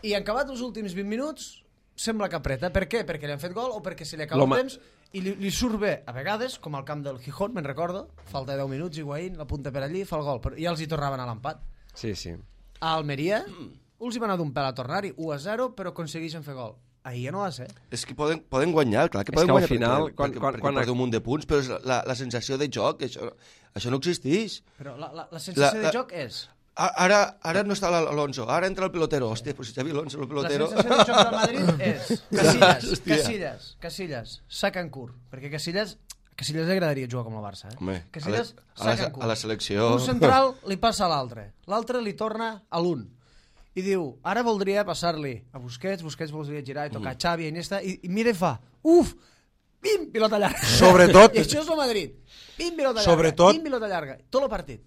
[SPEAKER 2] i en acabat els últims 20 minuts sembla que apreta. Per què? Perquè li han fet gol o perquè se li acaba el temps i li surt bé, a vegades, com al camp del Gijón, me'n recordo, falta 10 minuts, Higuaín la punta per allí, fa el gol, però ja els hi tornaven a l'empat.
[SPEAKER 5] Sí, sí.
[SPEAKER 2] A Almeria, els hi va anar d'un pèl a tornar-hi, 1-0, però aconsegueixen fer gol. Ahir ja no va ser.
[SPEAKER 4] És que poden guanyar, clar que
[SPEAKER 5] És
[SPEAKER 4] poden
[SPEAKER 5] que al
[SPEAKER 4] guanyar.
[SPEAKER 5] final,
[SPEAKER 4] perquè
[SPEAKER 5] quan
[SPEAKER 4] porta un munt de punts, però és la sensació de joc, això no existeix.
[SPEAKER 2] Però la sensació de joc és...
[SPEAKER 4] Ara no està l'Alonso, ara entra el pelotero. Hòstia, pues si Xavi Alonso, el pelotero...
[SPEAKER 2] La sensació de joc del Madrid és Casillas, saca en curt, perquè Casillas li agradaria jugar com el Barça.
[SPEAKER 4] Home,
[SPEAKER 2] Casillas saca en curt.
[SPEAKER 4] a la selecció...
[SPEAKER 2] Un central li passa a l'altre li torna a l'un. I diu, ara voldria passar-li a Busquets voldria girar i tocar a Xavi, a Iniesta, i mira i fa, pim, pilota llarga.
[SPEAKER 3] Sobretot...
[SPEAKER 2] I això és el Madrid. Pim, pilota llarga,
[SPEAKER 3] Sobretot...
[SPEAKER 2] pim, pilota llarga. Tot el partit.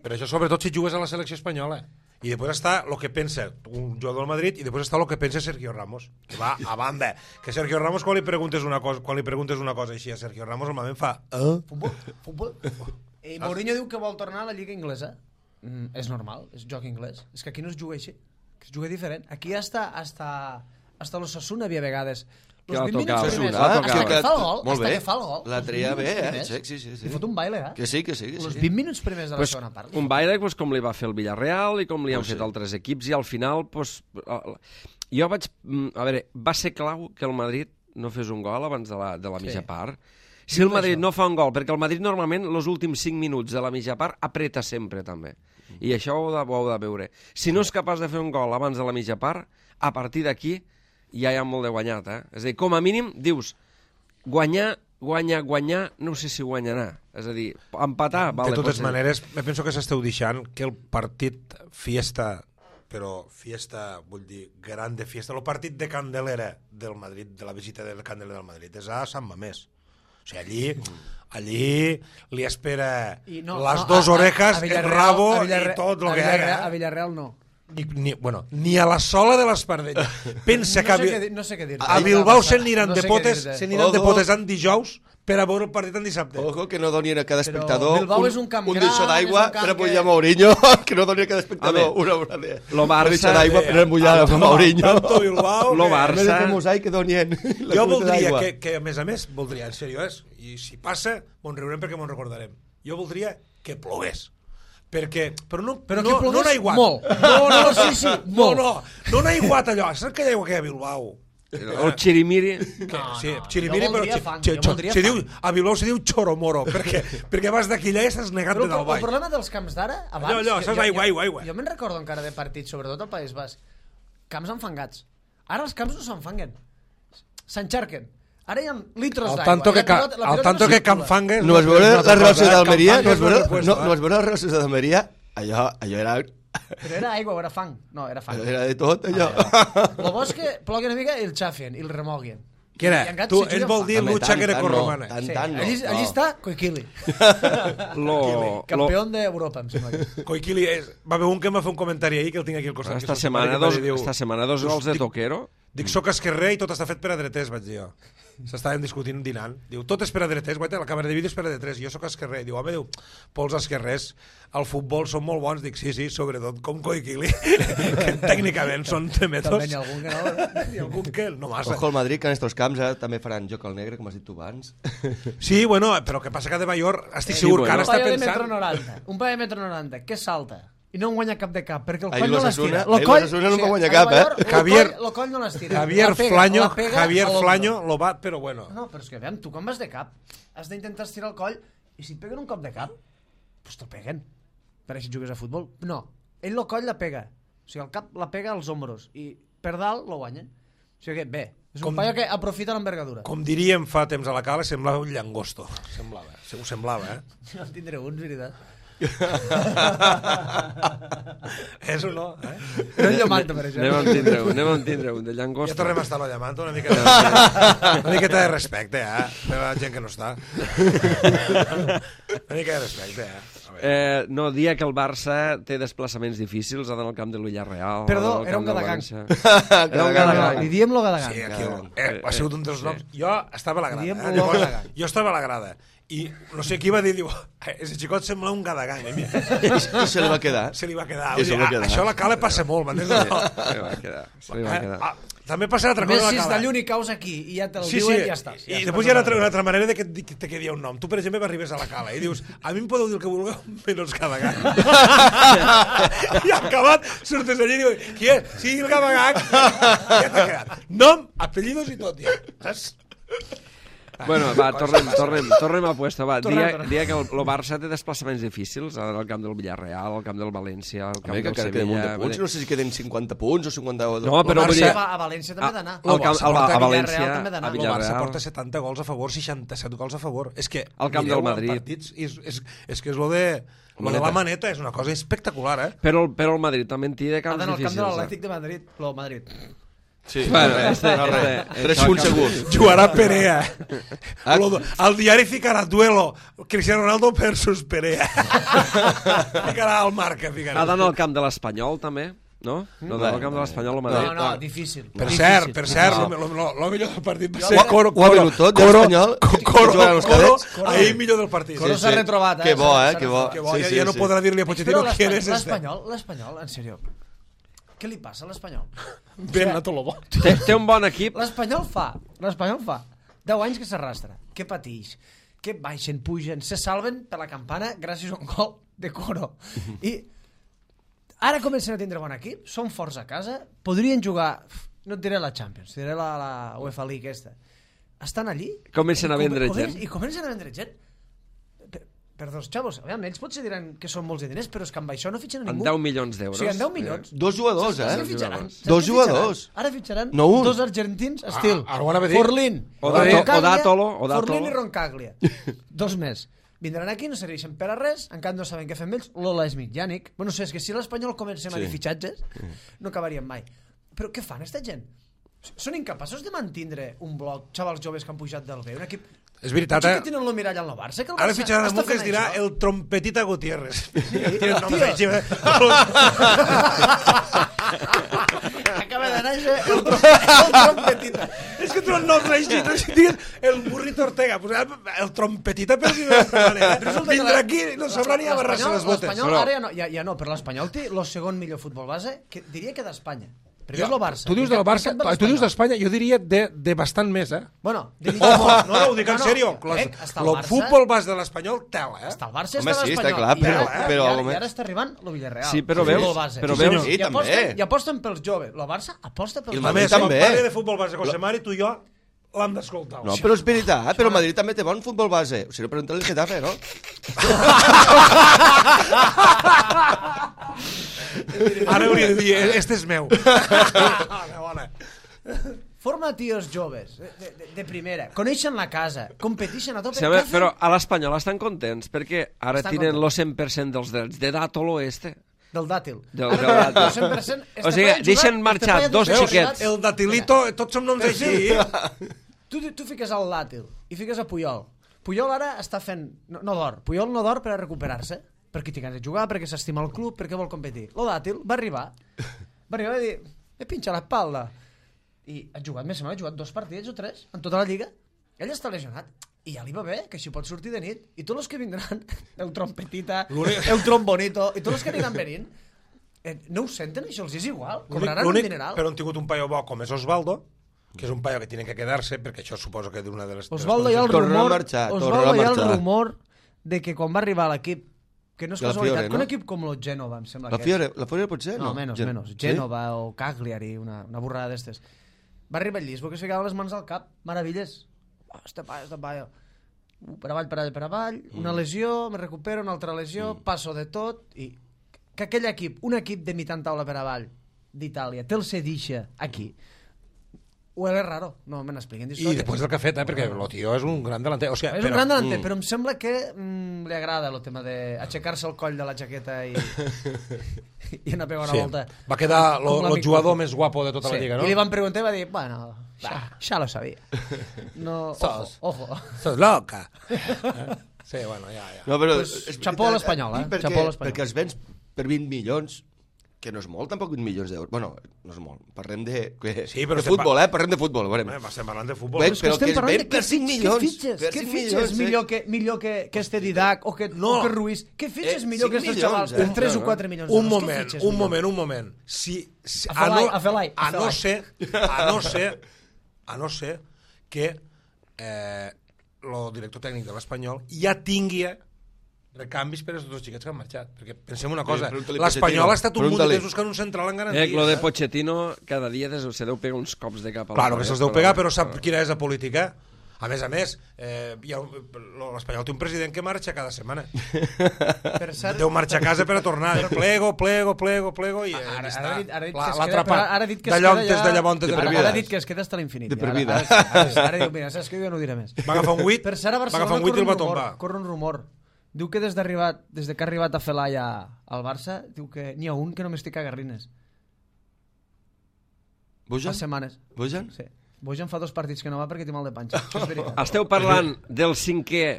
[SPEAKER 3] Però això sobretot si jugues a la selecció espanyola. I després està el que pensa un jugador del Madrid i després està el que pensa Sergio Ramos. Que va a banda. Que Sergio Ramos, quan li preguntes una cosa així a Sergio Ramos, normalment fa...
[SPEAKER 2] Futbol. I Mourinho diu que vol tornar a la Lliga Inglesa. És normal, és joc anglès. És que aquí no es juga així, que es juga diferent. Aquí hasta l'Osasuna havia vegades.
[SPEAKER 5] Que la tocava.
[SPEAKER 2] Hasta que fa el gol.
[SPEAKER 4] Molt bé.
[SPEAKER 2] Hasta que fa el gol.
[SPEAKER 4] La treia bé,
[SPEAKER 2] Sí.
[SPEAKER 4] Sí.
[SPEAKER 2] Li fot un baile,
[SPEAKER 4] Que sí.
[SPEAKER 2] Els 20 minuts primers de la segona part.
[SPEAKER 5] Un baile com li va fer el Villarreal i com li han fet altres equips, i al final jo vaig... A veure, va ser clau que el Madrid no fes un gol abans de la mitja part. Si el Madrid no fa un gol, perquè el Madrid normalment els últims 5 minuts de la mitja part apreta sempre també, i això ho heu de veure. Si no és capaç de fer un gol abans de la mitja part, a partir d'aquí ja hi ha molt de guanyat, És a dir, com a mínim dius guanyar, no sé si guanyarà. És a dir, empatar, vale.
[SPEAKER 3] De totes maneres, me penso que s'esteu deixant que el partit fiesta, però fiesta, vull dir, gran de fiesta, el partit de Candelera del Madrid, de la visita del Candelera del Madrid, és a Sant Mamés. O sigui, allí li espera les dos orejas, el rabo i tot el que hi ha.
[SPEAKER 2] A Villarreal no.
[SPEAKER 3] Ni a la sola de l'Espardenya. Pensa que
[SPEAKER 2] no sé què dir.
[SPEAKER 3] a Bilbao se n'aniran de potes en dijous per a veure el partit en dissabte.
[SPEAKER 4] Ojo, que no doni a cada espectador
[SPEAKER 2] un
[SPEAKER 4] deixó d'aigua per a mullar Mourinho, que no doni a cada espectador una obra de deixó d'aigua per a mullar a Mourinho.
[SPEAKER 3] Tanto Bilbao...
[SPEAKER 5] Lo Barça...
[SPEAKER 4] que donien
[SPEAKER 3] Jo voldria que, a més, voldria, en sèrio, i si passa, m'ho riurem perquè m'ho recordarem. Jo voldria que plogués. Però no n'ha aiguat.
[SPEAKER 2] Molt.
[SPEAKER 3] No n'ha aiguat allò. Saps que hi ha aigua que hi ha a Bilbao?
[SPEAKER 5] El Chirimiri...
[SPEAKER 3] Sí, Chirimiri, però a Bilbao se diu Choromoro, perquè vas d'aquí allà i estàs negant de dalt baix.
[SPEAKER 2] El problema dels camps d'ara, abans...
[SPEAKER 3] Allò, saps, aigua.
[SPEAKER 2] Jo me'n recordo encara de partits, sobretot al País Basc, camps enfangats. Ara els camps no s'enfanguen. s'encharquen. Ara hi ha litros
[SPEAKER 3] Al
[SPEAKER 2] d'aigua.
[SPEAKER 3] tanto que Canfangues...
[SPEAKER 4] No vas veure la relació d'Almeria? No
[SPEAKER 3] Canfangues
[SPEAKER 4] vas veure la relació d'Almeria? Allò era...
[SPEAKER 2] Però era aigua o era fang? No, era fang.
[SPEAKER 4] Era de tot, allò.
[SPEAKER 2] El bo és que plogui una mica i el xafen, i el remoguin.
[SPEAKER 3] Què era?
[SPEAKER 2] I encara
[SPEAKER 3] Tu,
[SPEAKER 2] se
[SPEAKER 3] ell vol dir
[SPEAKER 4] Home,
[SPEAKER 3] lucha
[SPEAKER 4] tant,
[SPEAKER 3] grecorromana.
[SPEAKER 4] tant,
[SPEAKER 2] Sí,
[SPEAKER 4] tant, no.
[SPEAKER 2] allí està Koikili, campió d'Europa, em sembla.
[SPEAKER 3] Koikili va haver un que em va fer un comentari ahir que el tinc aquí al costat.
[SPEAKER 5] Esta
[SPEAKER 3] que és el simpàtic, que
[SPEAKER 5] setmana dos gols de Toquero.
[SPEAKER 3] Dic, soc esquerrer i tot està fet per a dreters, vaig dir jo. S'estàvem discutint dinant. Diu, tot és per a dreters, guaita, la càmera de vídeo és per a dreters, jo sóc esquerrer. Diu, home, diu, pols esquerrers, al futbol són molt bons. Dic, sí, sobretot com Koikili, que tècnicament són tremetos.
[SPEAKER 2] També n'hi ha algun que no.
[SPEAKER 3] I algun que no massa.
[SPEAKER 4] Ojo al Madrid, que en estos camps també faran joc al negre, com has dit tu abans.
[SPEAKER 3] Sí, bueno, però que passa que de Mayor estic
[SPEAKER 5] Sí,
[SPEAKER 3] segur que
[SPEAKER 5] bueno.
[SPEAKER 3] ara
[SPEAKER 2] Un
[SPEAKER 3] està
[SPEAKER 2] paio de metro
[SPEAKER 3] pensant...
[SPEAKER 2] 90, un paio de metro 90, que salta i no en guanya cap de cap, perquè el
[SPEAKER 4] Ahir
[SPEAKER 2] coll no
[SPEAKER 4] l'Osasuna-
[SPEAKER 2] l'estira.
[SPEAKER 4] ahir l'Osasuna no en guanya cap,
[SPEAKER 2] El coll no l'estira.
[SPEAKER 3] Javier
[SPEAKER 2] La pega,
[SPEAKER 3] Flaño,
[SPEAKER 2] la pega
[SPEAKER 3] Javier
[SPEAKER 2] a l'hombro.
[SPEAKER 3] Flaño lo va, però bueno.
[SPEAKER 2] No, però és que, aviam, tu quan vas de cap, has d'intentar estirar el coll i si et peguen un cop de cap, doncs te'l peguen. Per així jugues a futbol. No, ell el coll la pega. O sigui, el cap la pega als hombros i per dalt lo guanyen. O sigui que, bé, és un paio que aprofita l'envergadura.
[SPEAKER 3] Com diríem fa temps a la cala, semblava un llangosto. Ho semblava,
[SPEAKER 2] No en tindré uns, veritat.
[SPEAKER 3] És o no,
[SPEAKER 2] Però ell lo mata, per això.
[SPEAKER 5] Anem a tindre un de
[SPEAKER 3] Ja
[SPEAKER 5] llangostes.
[SPEAKER 3] tornem a estar a la llamanta, una miqueta de respecte, per la gent que no està. Una mica de respecte,
[SPEAKER 5] No, dia que el Barça té desplaçaments difícils, ha d'anar al camp de l'Ullarreal.
[SPEAKER 2] Perdó, era un Gadagang.
[SPEAKER 5] Era un Gadagang.
[SPEAKER 2] Li diem lo Gadagang.
[SPEAKER 3] Sí, aquí ha sigut un dels noms. Jo estava a la grada.
[SPEAKER 2] Diem
[SPEAKER 3] Llavors,
[SPEAKER 2] Gadagang.
[SPEAKER 3] jo estava a la grada i no sé qui va dir, diu, ese xicot sembla un Gadagang.
[SPEAKER 4] I se li va quedar.
[SPEAKER 3] Se li va quedar.
[SPEAKER 4] I se li va quedar.
[SPEAKER 3] Això a la cala passa molt, m'entens?
[SPEAKER 5] Se li va quedar.
[SPEAKER 3] També passa l'altra cosa a la
[SPEAKER 2] Messi
[SPEAKER 3] cala.
[SPEAKER 2] de l'únic caus aquí i ja te'l
[SPEAKER 3] Sí,
[SPEAKER 2] diuen i ja està.
[SPEAKER 3] I després hi ha una altra manera de que te quedi un nom. Tu, per exemple, arribes a la cala i dius, a mi em podeu dir el que vulgueu, menys Gadagang. I acabat, surtes allí i dius, qui és? Sí, el Gadagang. Ja t'ha quedat. Nom, apellidos i tot, ja. Saps?
[SPEAKER 5] Bueno, va, tornem a puesto, va.
[SPEAKER 2] Tornem.
[SPEAKER 5] Dia que el Barça té desplaçaments difícils, ha d'anar al camp del Villarreal, al camp del València, al camp
[SPEAKER 4] Home, que
[SPEAKER 5] del
[SPEAKER 4] encara queden un
[SPEAKER 5] Sevilla...
[SPEAKER 4] de punts, no sé si queden 50 punts o 52.
[SPEAKER 5] No, però vull dir...
[SPEAKER 2] A València també ha d'anar.
[SPEAKER 5] Al camp, a
[SPEAKER 2] Villarreal
[SPEAKER 5] València,
[SPEAKER 2] també ha d'anar.
[SPEAKER 5] a
[SPEAKER 3] El Barça
[SPEAKER 5] Villarreal...
[SPEAKER 3] porta 70 gols a favor, 67 gols a favor. És que
[SPEAKER 5] Al camp
[SPEAKER 3] mireu
[SPEAKER 5] del Madrid.
[SPEAKER 3] en partits, és que és lo de la maneta, és una cosa espectacular,
[SPEAKER 5] Però el Madrid també en té de
[SPEAKER 2] Ha
[SPEAKER 5] camps
[SPEAKER 2] d'anar al camp
[SPEAKER 5] difícils.
[SPEAKER 2] de l'Atlètic de Madrid. Lo Madrid.
[SPEAKER 4] Sí,
[SPEAKER 5] Bueno,
[SPEAKER 4] res,
[SPEAKER 5] este-
[SPEAKER 4] no, res.
[SPEAKER 5] este-
[SPEAKER 4] 3 punts segurs.
[SPEAKER 3] Jugarà Perea. Al diari ficarà duelo Cristiano Ronaldo versus Perea. Ficarà al marca.
[SPEAKER 5] Ha d'anar al camp de l'Espanyol, també, no? No d'anar al camp de l'Espanyol al Madrid.
[SPEAKER 2] No, difícil.
[SPEAKER 3] Per cert, lo millor del partit va ser
[SPEAKER 4] Ho ha venut tot, de l'Espanyol, que juguen els cadets.
[SPEAKER 3] ahir millor del partit.
[SPEAKER 2] Coro s'ha retrobat,
[SPEAKER 4] Que bo,
[SPEAKER 2] s'ha
[SPEAKER 4] que bo.
[SPEAKER 2] retrobat.
[SPEAKER 3] Que bo,
[SPEAKER 4] Sí,
[SPEAKER 3] ja no
[SPEAKER 4] sí.
[SPEAKER 3] podrà dir-li a
[SPEAKER 2] Però
[SPEAKER 3] Pochettino que eres
[SPEAKER 2] l'Espanyol, en sèrio, què li passa a l'Espanyol?
[SPEAKER 3] Ben a tot lo bo.
[SPEAKER 5] Té un bon equip.
[SPEAKER 2] L'Espanyol fa 10 anys que s'arrastra, que patix, que baixen, pugen, se salven per la campana gràcies a un gol de Coro. I ara comencen a tindre bon equip, són forts a casa, podrien jugar, no et diré la Champions, diré la UEFA League aquesta. Estan allí...
[SPEAKER 5] Comencen a vendre gent.
[SPEAKER 2] I comencen a vendre gent. Per dos xavos, aviam, ells potser diran que són molts de diners, però és que amb això no fitxen a
[SPEAKER 5] En
[SPEAKER 2] ningú.
[SPEAKER 5] 10 milions
[SPEAKER 2] O
[SPEAKER 5] d'euros.
[SPEAKER 2] sigui, en 10 milions.
[SPEAKER 4] 2 jugadors,
[SPEAKER 2] Saps
[SPEAKER 4] eh?
[SPEAKER 2] què fitxaran?
[SPEAKER 5] Dos
[SPEAKER 2] Saps què fitxaran?
[SPEAKER 4] jugadors.
[SPEAKER 2] Ara fitxaran
[SPEAKER 4] No un.
[SPEAKER 2] 2 argentins estil.
[SPEAKER 3] Ara ho anava a dir.
[SPEAKER 2] Forlín.
[SPEAKER 5] Odátolo.
[SPEAKER 2] Forlín i Roncaglia. 2 més. Vindran aquí, no serveixen per a res, encara no saben què fem ells. Lola Smitjanic. Bueno, és que si l'Espanyol comencem a dir fitxatges, no acabaríem mai. Però què fan, esta gent? Són incapaços de mantindre un bloc, xavals joves que han pujat del B, un equip...
[SPEAKER 3] És veritat,
[SPEAKER 2] Potser que tenen el mirall al Barça, que el
[SPEAKER 3] Ara
[SPEAKER 2] Barça
[SPEAKER 3] fitxaran
[SPEAKER 2] està
[SPEAKER 3] un que es
[SPEAKER 2] fent
[SPEAKER 3] dirà
[SPEAKER 2] això.
[SPEAKER 3] el Trompetita Gutiérrez.
[SPEAKER 2] Tio. Acaba de néixer el trompetita.
[SPEAKER 3] És que tu el nom així, si digues el Burrito Ortega, pues el Trompetita per dir-ho d'altra manera. Vindrà aquí i no sabrà ni agarrar-se les botes.
[SPEAKER 2] L'Espanyol ara ja no, però l'Espanyol té el segon millor futbol base, que diria que d'Espanya. Primer és el Barça.
[SPEAKER 3] Tu dius del Barça, tu dius d'Espanya, jo diria de bastant més, eh?
[SPEAKER 2] Bueno,
[SPEAKER 3] Ojo, no, ho dic en sèrio.
[SPEAKER 2] Està el
[SPEAKER 3] El
[SPEAKER 2] Barça,
[SPEAKER 3] futbol bas de l'Espanyol, tela, eh?
[SPEAKER 2] està el Barça,
[SPEAKER 4] Home,
[SPEAKER 2] està
[SPEAKER 4] sí,
[SPEAKER 2] l'Espanyol.
[SPEAKER 4] està clar,
[SPEAKER 3] però
[SPEAKER 2] I ara està arribant el Villarreal.
[SPEAKER 5] Sí, però
[SPEAKER 2] el
[SPEAKER 5] veus,
[SPEAKER 2] futbol base.
[SPEAKER 5] però
[SPEAKER 2] Sí,
[SPEAKER 5] veus-
[SPEAKER 2] senyor.
[SPEAKER 4] Sí, també.
[SPEAKER 2] I aposten pels joves. El Barça aposta pels
[SPEAKER 4] I el
[SPEAKER 3] A
[SPEAKER 2] joves.
[SPEAKER 3] més,
[SPEAKER 4] també.
[SPEAKER 3] quan parli de futbol base, José Mari, tu i jo l'hem d'escoltar.
[SPEAKER 4] No, però és veritat, però el Madrid també té bon futbol base. O sigui, pregunta-li al Getafe, no?
[SPEAKER 3] Ara hauria de dir, este és meu. Bona.
[SPEAKER 2] Forma tios joves, de primera, coneixen la casa, competeixen a tope.
[SPEAKER 5] Sí, però a l'Espanyol estan contents perquè ara tenen el 100% dels drets de dato l'oeste.
[SPEAKER 2] Del dàtil.
[SPEAKER 5] Del dàtil.
[SPEAKER 2] El 100%
[SPEAKER 5] O sigui, deixen marxar dos xiquets.
[SPEAKER 3] El datilito, tots som noms així.
[SPEAKER 2] Tu fiques al dàtil i fiques a Puyol. Puyol ara està fent... No d'or. Puyol no d'or per a recuperar-se, perquè té ganes de jugar, perquè s'estima el club, perquè vol competir. Lo dàtil va arribar a dir, me pinxa l'espalda. I ha jugat més o menys, ha jugat 2 partits o 3 en tota la lliga. Ell està lesionat. I ja li va bé, que així pot sortir de nit. I tots els que vindran, el trompetita, el trombonito, i tots els que aniran venint, no ho senten, això els és igual. Cobraran un dineral.
[SPEAKER 3] Però han tingut un paio bo com és Osvaldo, que és un paio que tiene que quedar-se, perquè això suposo que d'una de les...
[SPEAKER 2] Osvaldo hi ha el rumor de que quan va arribar a l'equip, que no és casualitat, que un equip com el Gènova, em sembla que és.
[SPEAKER 4] La Fiore pot ser?
[SPEAKER 2] No, menys. Gènova o Cagliari, una borrada d'estes. Va arribar el Lisbo, que es ficava les mans al cap, meravelles. Este paio. Per avall, una lesió, me recupero, una altra lesió, passo de tot, i que aquell equip, un equip de mitjan taula per avall d'Itàlia, te'l cedixa aquí, huele raro, no me n'expliquen d'històries.
[SPEAKER 3] I després del que ha fet, perquè el tio és un gran delanter. O sigui,
[SPEAKER 2] és un gran delanter, però em sembla que li agrada el tema d'aixecar-se el coll de la jaqueta i anar a pegar una volta.
[SPEAKER 3] Va quedar el jugador més guapo de tota la lliga, no?
[SPEAKER 2] I li van preguntar i va dir, bueno, ja lo sabia. No, ojo.
[SPEAKER 3] Sos loca. Sí, bueno, ja.
[SPEAKER 2] No, però xapó a l'Espanyol,
[SPEAKER 4] perquè els vens per 20 milions, que no és molt, tampoc 20 milions d'euros. Bueno, no és molt. Parlem de futbol, parlem de futbol.
[SPEAKER 3] Estem parlant de futbol.
[SPEAKER 4] Però que es ven per 5 milions.
[SPEAKER 2] Què fitxes millor que este Didac o que Ruiz? Què fitxes millor que estos xavals per 3 o 4 milions d'euros?
[SPEAKER 3] Un moment. A no ser que el director tècnic de l'Espanyol ja tingui recanvis per aquests dos xiquets que han marxat. Perquè pensem una cosa, l'Espanyol ha estat un munt de temps buscant un central en garanties.
[SPEAKER 5] Lo de Pochettino cada dia se deu pegar uns cops de cap a
[SPEAKER 3] Claro que se'ls deu pegar, però sap quina és la política. A més, l'Espanyol té un president que marxa cada setmana. Deu marxar a casa per a tornar. Plego, i l'ha
[SPEAKER 2] dit que es queda fins a l'infinit. Ara diu, mira, saps que jo no ho diré més.
[SPEAKER 3] Va agafar un 8 i el va tombar.
[SPEAKER 2] Corre un rumor. Diu que des que ha arribat a Felaya al Barça, diu que n'hi ha un que només té cagarrines.
[SPEAKER 4] Bojan?
[SPEAKER 2] Fa setmanes.
[SPEAKER 4] Bojan?
[SPEAKER 2] Sí. Bojan fa 2 partits que no va perquè té mal de panxa. Això és veritat.
[SPEAKER 5] Esteu parlant del 5è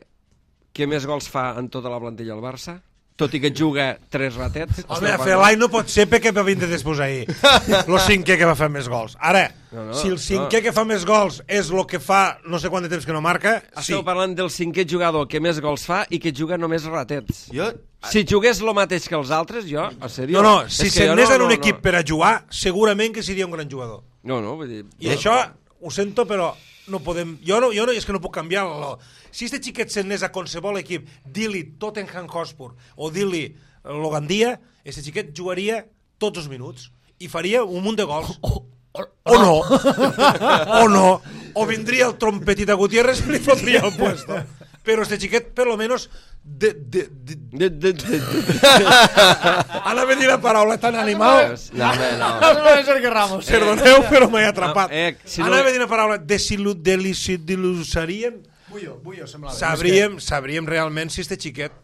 [SPEAKER 5] que més gols fa en tota la plantilla al Barça? Tot i que juga 3 ratets?
[SPEAKER 3] Home, Felai no pot ser perquè va vindre després ahir. El 5è que va fer més gols. Ara, si el 5è que fa més gols és el que fa no sé quant de temps que no marca, sí.
[SPEAKER 5] Esteu parlant del 5è jugador que més gols fa i que juga només ratets. Si jugués el mateix que els altres, jo, a sèrio...
[SPEAKER 3] No, si s'anés en un equip per a jugar, segurament que seria un gran jugador.
[SPEAKER 5] No, vull dir...
[SPEAKER 3] I això, ho sento, però no podem... Jo és que no puc canviar-lo. Si este xiquet s'anés a qualsevol equip, dir-li Tottenham Hotspur o dir-li Logandia, este xiquet jugaria tots els minuts i faria un munt de gols. O no. O vindria el trompetita Gutiérrez i li fotria el puesto. Però este xiquet, per lo menos... Ara me dir la paraula tan animal.
[SPEAKER 2] No és Sergio Ramos.
[SPEAKER 3] Perdoneu, però m'he atrapat. Ara me dir la paraula desil·lusarien.
[SPEAKER 2] Bullo, semblava.
[SPEAKER 3] Sabríem realment si este xiquet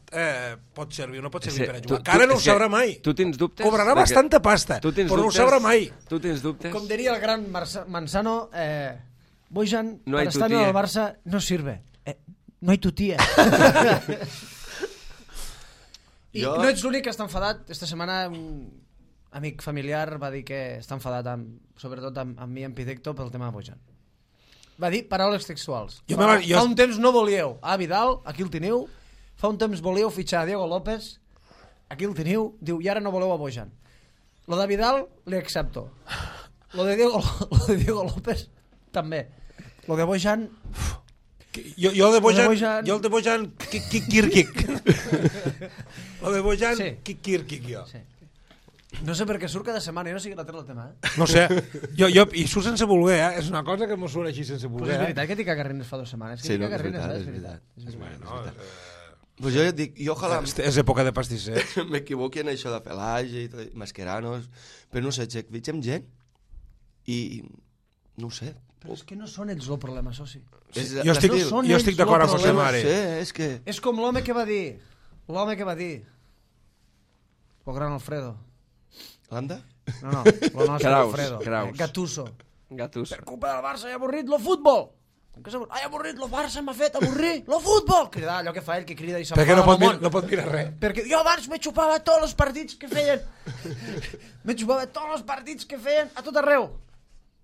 [SPEAKER 3] pot servir o no pot servir per a jugar. Encara no ho sabrà mai.
[SPEAKER 5] Tu tens dubtes?
[SPEAKER 3] Cobrarà bastanta pasta, però no ho sabrà mai.
[SPEAKER 5] Tu tens dubtes?
[SPEAKER 2] Com diria el gran Manzano, Bojan,
[SPEAKER 5] no
[SPEAKER 2] para estar en el Barça, no sirve. No hay tu tía. I no ets l'únic que està enfadat. Esta setmana un amic familiar va dir que està enfadat, sobretot amb mi, amb Pidecto, pel tema de Bojan. Va dir paraules textuals. Fa un temps no volíeu a Vidal, aquí el teniu. Fa un temps volíeu fitxar a Diego López, aquí el teniu. Diu, i ara no voleu a Bojan. Lo de Vidal li accepto. Lo de Diego López també. Lo de Bojan...
[SPEAKER 3] Jo el de Bojan Kirkik. Lo de Bojan Kirkik, jo.
[SPEAKER 2] No sé per què surt cada setmana, jo no sé que la treu el tema,
[SPEAKER 3] No sé, i surt sense voler, és una cosa que m'ho surt així sense voler.
[SPEAKER 2] Però és veritat que t'hi cagarrines fa 2 setmanes.
[SPEAKER 4] Sí, no, és veritat. Pues jo ja et dic, i ojalà...
[SPEAKER 3] És època de pastisser.
[SPEAKER 4] M'equivoqui en això de Pelage i Masqueranos, però no sé, fitxem gent i No ho sé.
[SPEAKER 2] Però és que no són ells el problema, soci.
[SPEAKER 3] Jo estic d'acord amb José Mari.
[SPEAKER 4] No sé, és que...
[SPEAKER 2] És com l'home que va dir... El gran Alfredo.
[SPEAKER 4] L'Anda?
[SPEAKER 2] No, el nostre Alfredo.
[SPEAKER 5] Gattuso.
[SPEAKER 2] Per culpa del Barça he avorrit lo futbol. He avorrit lo Barça, m'ha fet avorrir lo futbol. Cridar, allò que fa ell, que crida i
[SPEAKER 3] perquè no pot mirar res.
[SPEAKER 2] Perquè jo abans me xupava tots els partits que feien. Me xupava tots els partits que feien a tot arreu.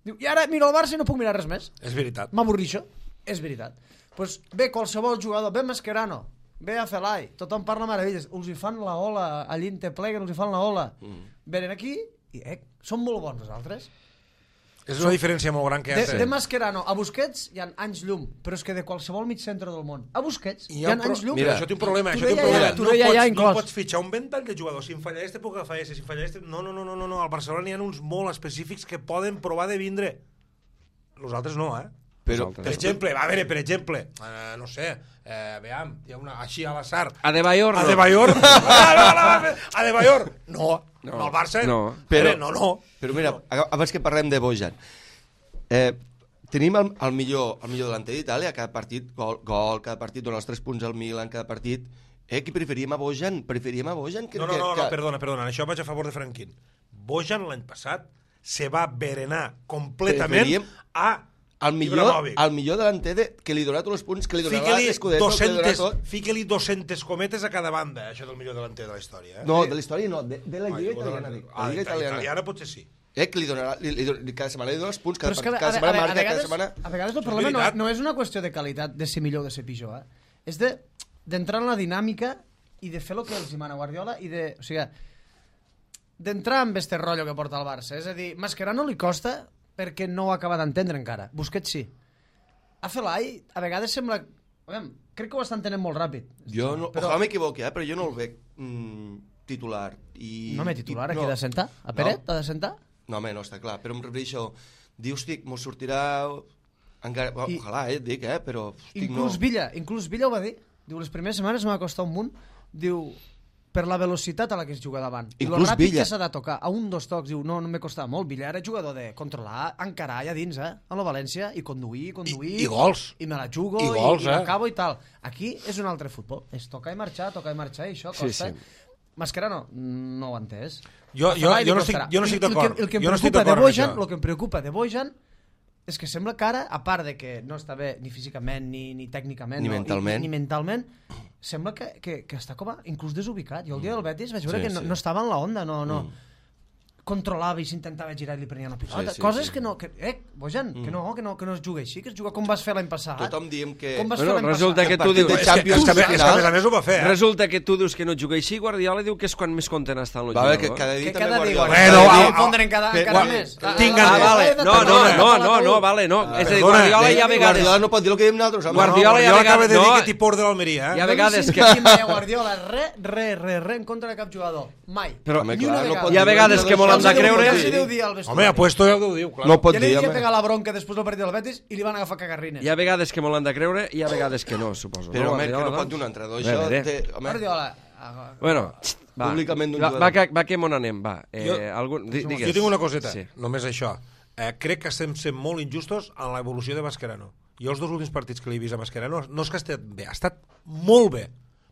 [SPEAKER 2] Diu, i ara miro el Barça i no puc mirar res més.
[SPEAKER 3] És veritat.
[SPEAKER 2] M'avorrixo. És veritat. Pues ve qualsevol jugador, ve Mascherano, ve a Felai, tothom parla meravelles, us hi fan la ola, a l'Inte pleguen, us hi fan la ola. Venen aquí i són molt bons els altres.
[SPEAKER 3] És una diferència molt gran que hi ha.
[SPEAKER 2] De Mascherano a Busquets hi ha anys llum, però és que de qualsevol mig centre del món a Busquets hi ha anys llum.
[SPEAKER 3] Mira, això té un problema. No pots fitxar un ventall de jugadors. Si em falla este, puc agafar este. Si em falla este... No. Al Barcelona n'hi ha uns molt específics que poden provar de vindre. Nosaltres no,
[SPEAKER 4] Però,
[SPEAKER 3] per exemple, no sé, veam, hi ha una així a l'assar.
[SPEAKER 5] Adebayor, no.
[SPEAKER 3] Adebayor, no. El Barça,
[SPEAKER 5] no.
[SPEAKER 4] Però mira, abans que parlem de Bojan, tenim el millor delanter d'Itàlia, cada partit, gol, cada partit, dona els 3 punts al Milan, cada partit. Qui preferíem a Bojan? No,
[SPEAKER 3] perdona, això vaig a favor de Franquín. Bojan l'any passat se va berenar completament
[SPEAKER 4] al millor delanter que li donarà tots els punts, que li donarà l'Escudetto, que li donarà tot.
[SPEAKER 3] Fica-li 200 cometes a cada banda, això del millor delanter de la història.
[SPEAKER 4] No, de la història no, de la Lliga Italiana. La Lliga
[SPEAKER 3] Italiana potser sí.
[SPEAKER 4] Que li donarà, cada setmana li dona els punts, cada setmana marca, cada setmana...
[SPEAKER 2] A vegades el problema no és una qüestió de qualitat, de ser millor o de ser pitjor, és d'entrar en la dinàmica i de fer el que els mana Guardiola i de... O sigui, d'entrar en este rotllo que porta el Barça. És a dir, Mascherano li costa perquè no ho acaba d'entendre encara. Busquets sí. A Felai, a vegades sembla... Crec que ho està entenent molt ràpid.
[SPEAKER 4] Ojalà m'equivoqui, però jo no el veig titular.
[SPEAKER 2] No m'he titular, aquí de sentar? A Peret, ha de sentar?
[SPEAKER 4] No, home, no, està clar. Però em refereixo... Dius, mos sortirà... Ojalà, et dic, però...
[SPEAKER 2] Inclús Villa ho va dir. Diu, les primeres setmanes m'ha costat un munt. Diu... per la velocitat a la que es juga davant. I el ràpid que s'ha de tocar. A 1-2 tocs, diu, no me costava molt. Villa era jugador de controlar, encarar allà dins, a la València, i conduir.
[SPEAKER 3] I gols.
[SPEAKER 2] I me la jugo, i l'acabo i tal. Aquí és un altre futbol. És tocar i marxar, i això costa. Mascherano no ho ha entès.
[SPEAKER 3] Jo no estic d'acord.
[SPEAKER 2] El que em preocupa de Bojan és que sembla que ara, a part de que no està bé ni físicament, ni tècnicament, ni mentalment, sembla que està com inclús desubicat. Jo el dia del Betis vaig veure que no estava en la onda, no controlava i s'intentava girar i li prenia una pilota. Coses que no... Bojan, que no es juga així, que es juga com vas fer l'any passat.
[SPEAKER 4] Tothom diem que...
[SPEAKER 5] Resulta que tu dius...
[SPEAKER 3] És que a més ho va fer.
[SPEAKER 5] Resulta que tu dius que no juga així, Guardiola diu que és quan més content està en el jugador.
[SPEAKER 4] Que cada dia
[SPEAKER 2] també
[SPEAKER 4] Guardiola...
[SPEAKER 2] Fondre encara més.
[SPEAKER 5] No, vale, no. És a dir, Guardiola hi ha vegades...
[SPEAKER 4] Guardiola no pot dir el que diem nosaltres.
[SPEAKER 3] Guardiola acaba de dir que t'hi por de l'Almeria.
[SPEAKER 5] Hi ha vegades que...
[SPEAKER 2] Guardiola, res en contra de cap jugador. Mai.
[SPEAKER 5] Però hi ha vegades que molt hem de creure...
[SPEAKER 3] Home, apuesto ja ho diu, clar.
[SPEAKER 4] No pot dir,
[SPEAKER 2] ja li havia pegat la bronca després del partit del Betis i li van agafar cagarrines.
[SPEAKER 5] Hi ha vegades que molt han de creure i hi ha vegades que no, suposo.
[SPEAKER 4] Però, home, que no pot dir un entrenador, això...
[SPEAKER 2] Guardiola...
[SPEAKER 5] Bueno,
[SPEAKER 4] públicament d'un jugador.
[SPEAKER 5] Va que m'on anem, va.
[SPEAKER 3] Jo tinc una coseta, només això. Crec que estem sent molt injustos en l'evolució de Mascherano. Jo els 2 últims partits que l'he vist a Mascherano no és que ha estat bé, ha estat molt bé.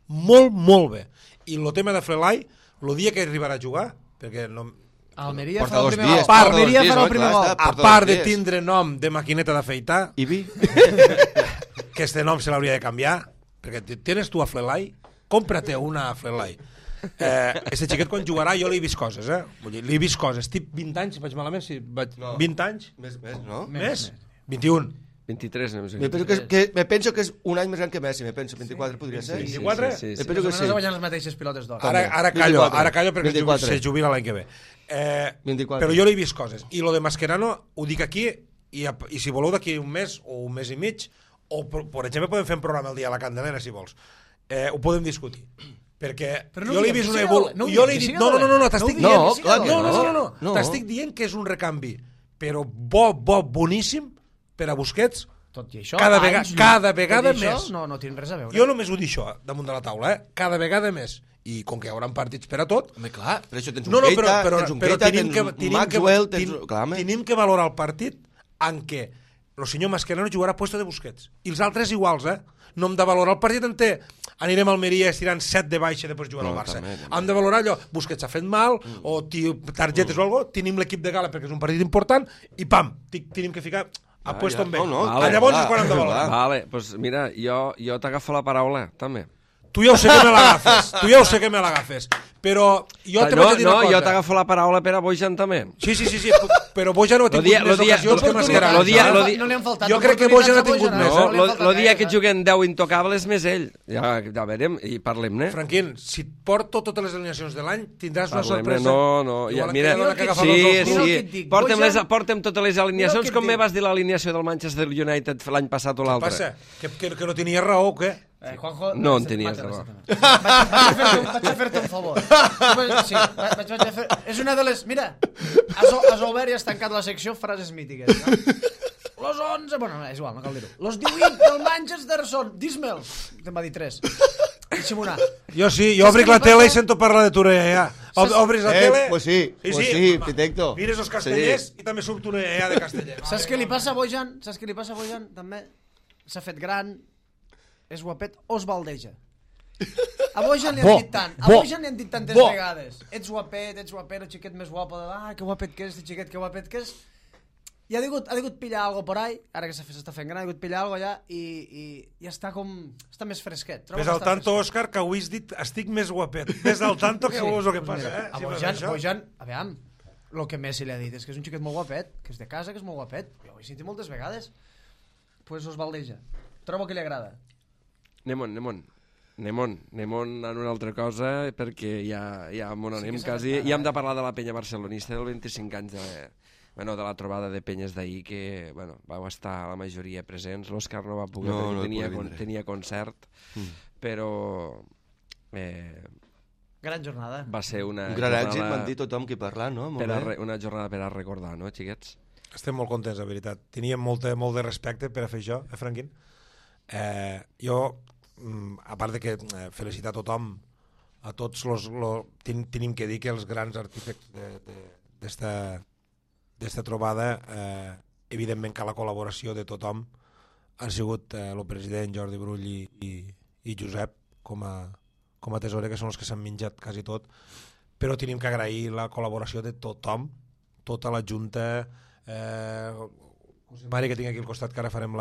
[SPEAKER 3] Molt bé. I el tema de Felai, el dia que arribarà a jugar, perquè no...
[SPEAKER 2] Almeria farà el primer gol.
[SPEAKER 3] A part de tindre nom de maquineta d'afeitar,
[SPEAKER 4] Ibi,
[SPEAKER 3] que este nom se l'hauria de canviar, perquè tienes tu a Felai, cómprate una a Felai. Este xiquet quan jugarà jo li he vist coses, li he vist coses. Tip 20 anys, vaig malament? 20 anys?
[SPEAKER 4] Més, no?
[SPEAKER 3] Més? 21.
[SPEAKER 5] 23, no sé.
[SPEAKER 4] Me penso que és un any més gran que Messi, me penso, 24 podria ser.
[SPEAKER 3] 24?
[SPEAKER 5] Sí.
[SPEAKER 4] Me penso que sí.
[SPEAKER 2] Guanyant les mateixes pilotes d'or.
[SPEAKER 3] Ara callo perquè se jubila l'any que ve. Però jo l'he vist coses. I lo de Mascherano ho dic aquí, i si voleu d'aquí un mes o un mes i mig, o per exemple podem fer un programa el dia a la Candelera, si vols. Ho podem discutir. Perquè jo l'he vist una evolució... No, t'estic dient que és un recanvi, però boníssim per a Busquets,
[SPEAKER 2] tot i això,
[SPEAKER 3] cada vegada més.
[SPEAKER 2] No tenen res a veure.
[SPEAKER 3] Jo només ho dic això damunt de la taula, cada vegada més. I com que hi haurà partits per a tot...
[SPEAKER 4] Home, clar, per això tens un Keita, tens un Maxwell,
[SPEAKER 3] tenim que valorar el partit en què el senyor Mascherano jugarà a puesto de Busquets. I els altres iguals, No hem de valorar el partit enter. Anirem a Almeria estirant 7 de baixa i després jugar al Barça. Hem de valorar allò, Busquets ha fet mal, o targetes o alguna cosa, tenim l'equip de gala perquè és un partit important, i pam, tenim que ficar a puesto amb ell. Llavors és quan hem de valorar.
[SPEAKER 5] Vale, doncs mira, jo t'agafo la paraula, també.
[SPEAKER 3] Tu ja ho sé que me l'agafes, però jo te vaig a dir una cosa.
[SPEAKER 5] No, jo t'agafo la paraula per a Bojan també.
[SPEAKER 3] Sí, però Bojan no ha tingut més ocasions que Mascherano.
[SPEAKER 2] No li han faltat.
[SPEAKER 3] Jo crec que Bojan ha tingut més.
[SPEAKER 5] El dia que juguen 10 intocables més ell. Ja veurem i parlem-ne.
[SPEAKER 3] Franquín, si et porto totes les alineacions de l'any, tindràs una sorpresa.
[SPEAKER 5] No, mira, sí, porta'm totes les alineacions com me vas dir l'alineació del Manchester United l'any passat o l'altre.
[SPEAKER 3] Què passa? Que no tenies raó o què?
[SPEAKER 2] Juanjo,
[SPEAKER 5] no en tenies raó.
[SPEAKER 2] Vaig a fer-te un favor. Sí, vaig a fer... És una de les... Mira, has obert i has tancat la secció frases mítiques. No? Los 11... Bueno, és igual, no cal dir-ho. Los 18 del Manchester són... Dis-me'l. Te'n va dir 3. Deixa'm una.
[SPEAKER 3] Jo sí, jo obric la tele i sento parlar de Toreia. Obris la tele...
[SPEAKER 4] Pues sí, Pitecto.
[SPEAKER 3] Mires els castellers i també surt una EA de casteller.
[SPEAKER 2] Saps què li passa a Bojan? També s'ha fet gran... és guapet o es baldeja. A Bojan li han dit tant. A Bojan li han dit tantes vegades. Ets guapet, el xiquet més guapo. Que guapet que és, xiquet, que guapet que és. I ha degut pillar algo por ahí, ara que s'està fent gran, ha degut pillar algo allà i està com... està més fresquet.
[SPEAKER 3] Ves al tanto, Òscar, que avui has dit estic més guapet. Ves al tanto que veus el que passa.
[SPEAKER 2] A Bojan, a veure, el que Messi li ha dit és que és un xiquet molt guapet, que és de casa, que és molt guapet. Jo ho he sentit moltes vegades. Pues us baldeja. Trobo que li agrada.
[SPEAKER 5] Anem a una altra cosa perquè ja m'ho anem quasi. Ja hem de parlar de la penya barcelonista del 25 anys de la trobada de penyes d'ahir que vau estar la majoria presents. L'Òscar no va poder perquè tenia concert, però
[SPEAKER 2] gran jornada.
[SPEAKER 5] Va ser un
[SPEAKER 4] gran èxit, m'han dit tothom qui parla, no?
[SPEAKER 5] Una jornada per a recordar, no, xiquets?
[SPEAKER 3] Estem molt contents, la veritat. Teníem molt de respecte per a fer això, Franquín? Jo, a part de que felicitar a tothom, a tots tenim que dir que els grans artífexs d'esta trobada, evidentment que la col·laboració de tothom han sigut el president Jordi Brull i Josep com a tesorer, que són els que s'han menjat quasi tot, però tenim que agrair la col·laboració de tothom, tota la Junta, José Mari, que tinc aquí al costat, que ara farem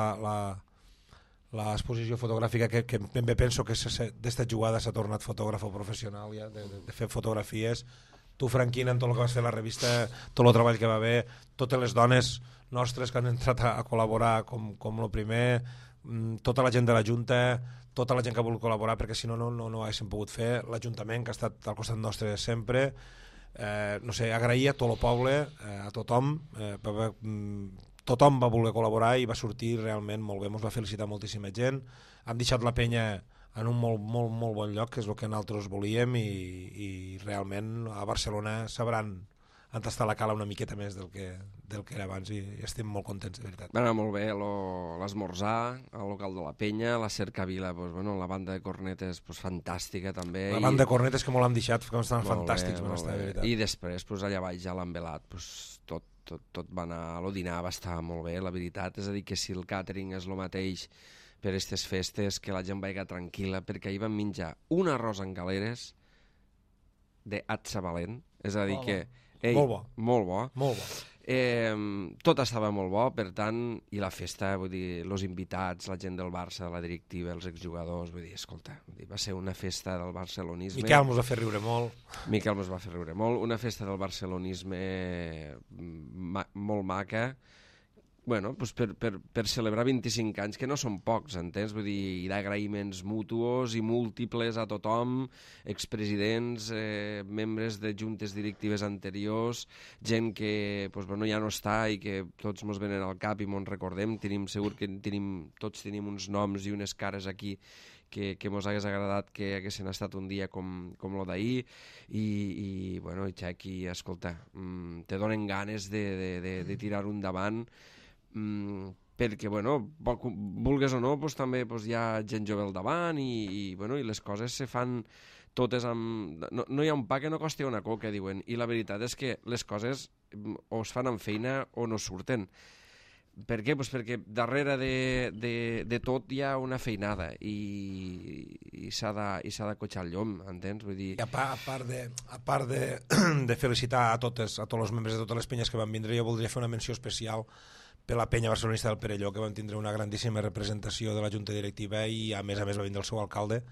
[SPEAKER 3] l'exposició fotogràfica, que ben bé penso que d'esta jugada s'ha tornat fotògraf professional ja, de fer fotografies. Tu, Franquín, en tot el que vas fer la revista, tot el treball que va haver, totes les dones nostres que han entrat a col·laborar com el primer, tota la gent de la Junta, tota la gent que ha volgut col·laborar, perquè si no ho haguéssim pogut fer, l'Ajuntament que ha estat al costat nostre sempre, no sé, agrair a tot el poble, a tothom, tothom va voler col·laborar i va sortir realment molt bé, ens va felicitar moltíssima gent, hem deixat la penya en un molt bon lloc, que és el que nosaltres volíem, i realment a Barcelona sabran tastar la cala una miqueta més del que era abans, i estem molt contents, de veritat.
[SPEAKER 5] Va anar molt bé l'esmorzar al local de la penya, la cercavila, la banda de cornetes fantàstica també.
[SPEAKER 3] La banda de cornetes que molt hem deixat, que estaven fantàstics, van estar, de veritat.
[SPEAKER 5] I després allà baix ja l'han velat, tot va anar, el dinar va estar molt bé, la veritat, és a dir, que si el càtering és el mateix per aquestes festes, que la gent vagi tranquil·la, perquè ahir van menjar un arròs en galeres d'atxa valent, és a dir que... Molt bo. Tot estava molt bo, per tant, i la festa, vull dir, els invitats, la gent del Barça, la directiva, els exjugadors, vull dir, escolta, va ser una festa del barcelonisme.
[SPEAKER 3] Miquel mos va fer riure molt.
[SPEAKER 5] Una festa del barcelonisme molt maca, per celebrar 25 anys, que no són pocs, entens? Vull dir, d'agraïments mútuos i múltiples a tothom, expresidents, membres de juntes directives anteriors, gent que ja no està i que tots mos venen al cap i mos recordem, segur que tots tenim uns noms i unes cares aquí que mos hagués agradat que haguessin estat un dia com el d'ahir, i Xequi, escolta, te donen ganes de tirar-ho endavant, perquè, vulgues o no, també hi ha gent jove al davant i les coses se fan totes amb... No hi ha un pa que no costi una coca, diuen, i la veritat és que les coses o es fan amb feina o no surten. Per què? Pues perquè darrere de tot hi ha una feinada i s'ha de cotxar el llom, entens? Vull dir...
[SPEAKER 3] I a part de felicitar a tots els membres de totes les penyes que van vindre, jo voldria fer una menció especial per la penya barcelonista del Perelló, que van tindre una grandíssima representació de la Junta Directiva i a més va vindre el seu alcalde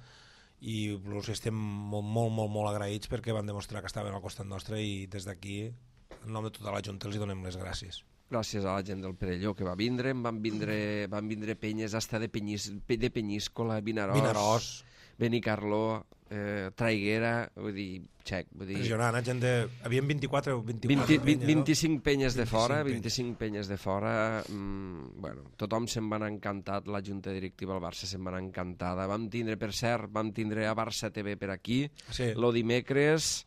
[SPEAKER 3] i els estem molt agraïts perquè van demostrar que estaven al costat nostre i des d'aquí, en nom de tota la Junta, els donem les gràcies.
[SPEAKER 5] Gràcies a la gent del Perelló que va vindre, van vindre penyes hasta de Penyíscola, Vinaròs, Benicarló, Traiguera, vull dir, xec.
[SPEAKER 3] Impressionant, gent de... Havien 24 penyes,
[SPEAKER 5] 25 penyes de fora,
[SPEAKER 3] 25
[SPEAKER 5] penyes de fora, bueno, tothom se'n va anar encantat, la Junta Directiva del Barça se'n va anar encantada. Vam tindre a Barça TV per aquí,
[SPEAKER 3] sí.
[SPEAKER 5] Lo dimecres...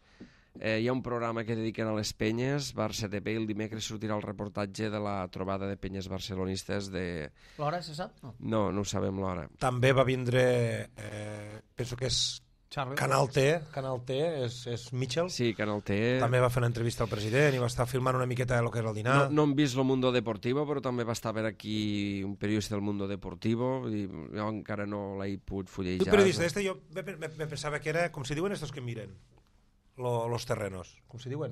[SPEAKER 5] hi ha un programa que dediquen a les penyes, Barça TV, i el dimecres sortirà el reportatge de la trobada de penyes barcelonistes de...
[SPEAKER 2] L'hora, se sap?
[SPEAKER 5] No ho sabem l'hora.
[SPEAKER 3] També va vindre, penso que és
[SPEAKER 2] Charlie.
[SPEAKER 3] Canal T, és Mitchell.
[SPEAKER 5] Sí, Canal T.
[SPEAKER 3] També va fer una entrevista al president i va estar filmant una miqueta de lo que era el dinar.
[SPEAKER 5] No hem vist el Mundo Deportivo, però també va estar per aquí un periodista del Mundo Deportivo, i jo encara no l'he pogut fullejar.
[SPEAKER 3] Tu periodista, jo me pensava que era, com si diuen estos que miren, los terrenos, com se diuen?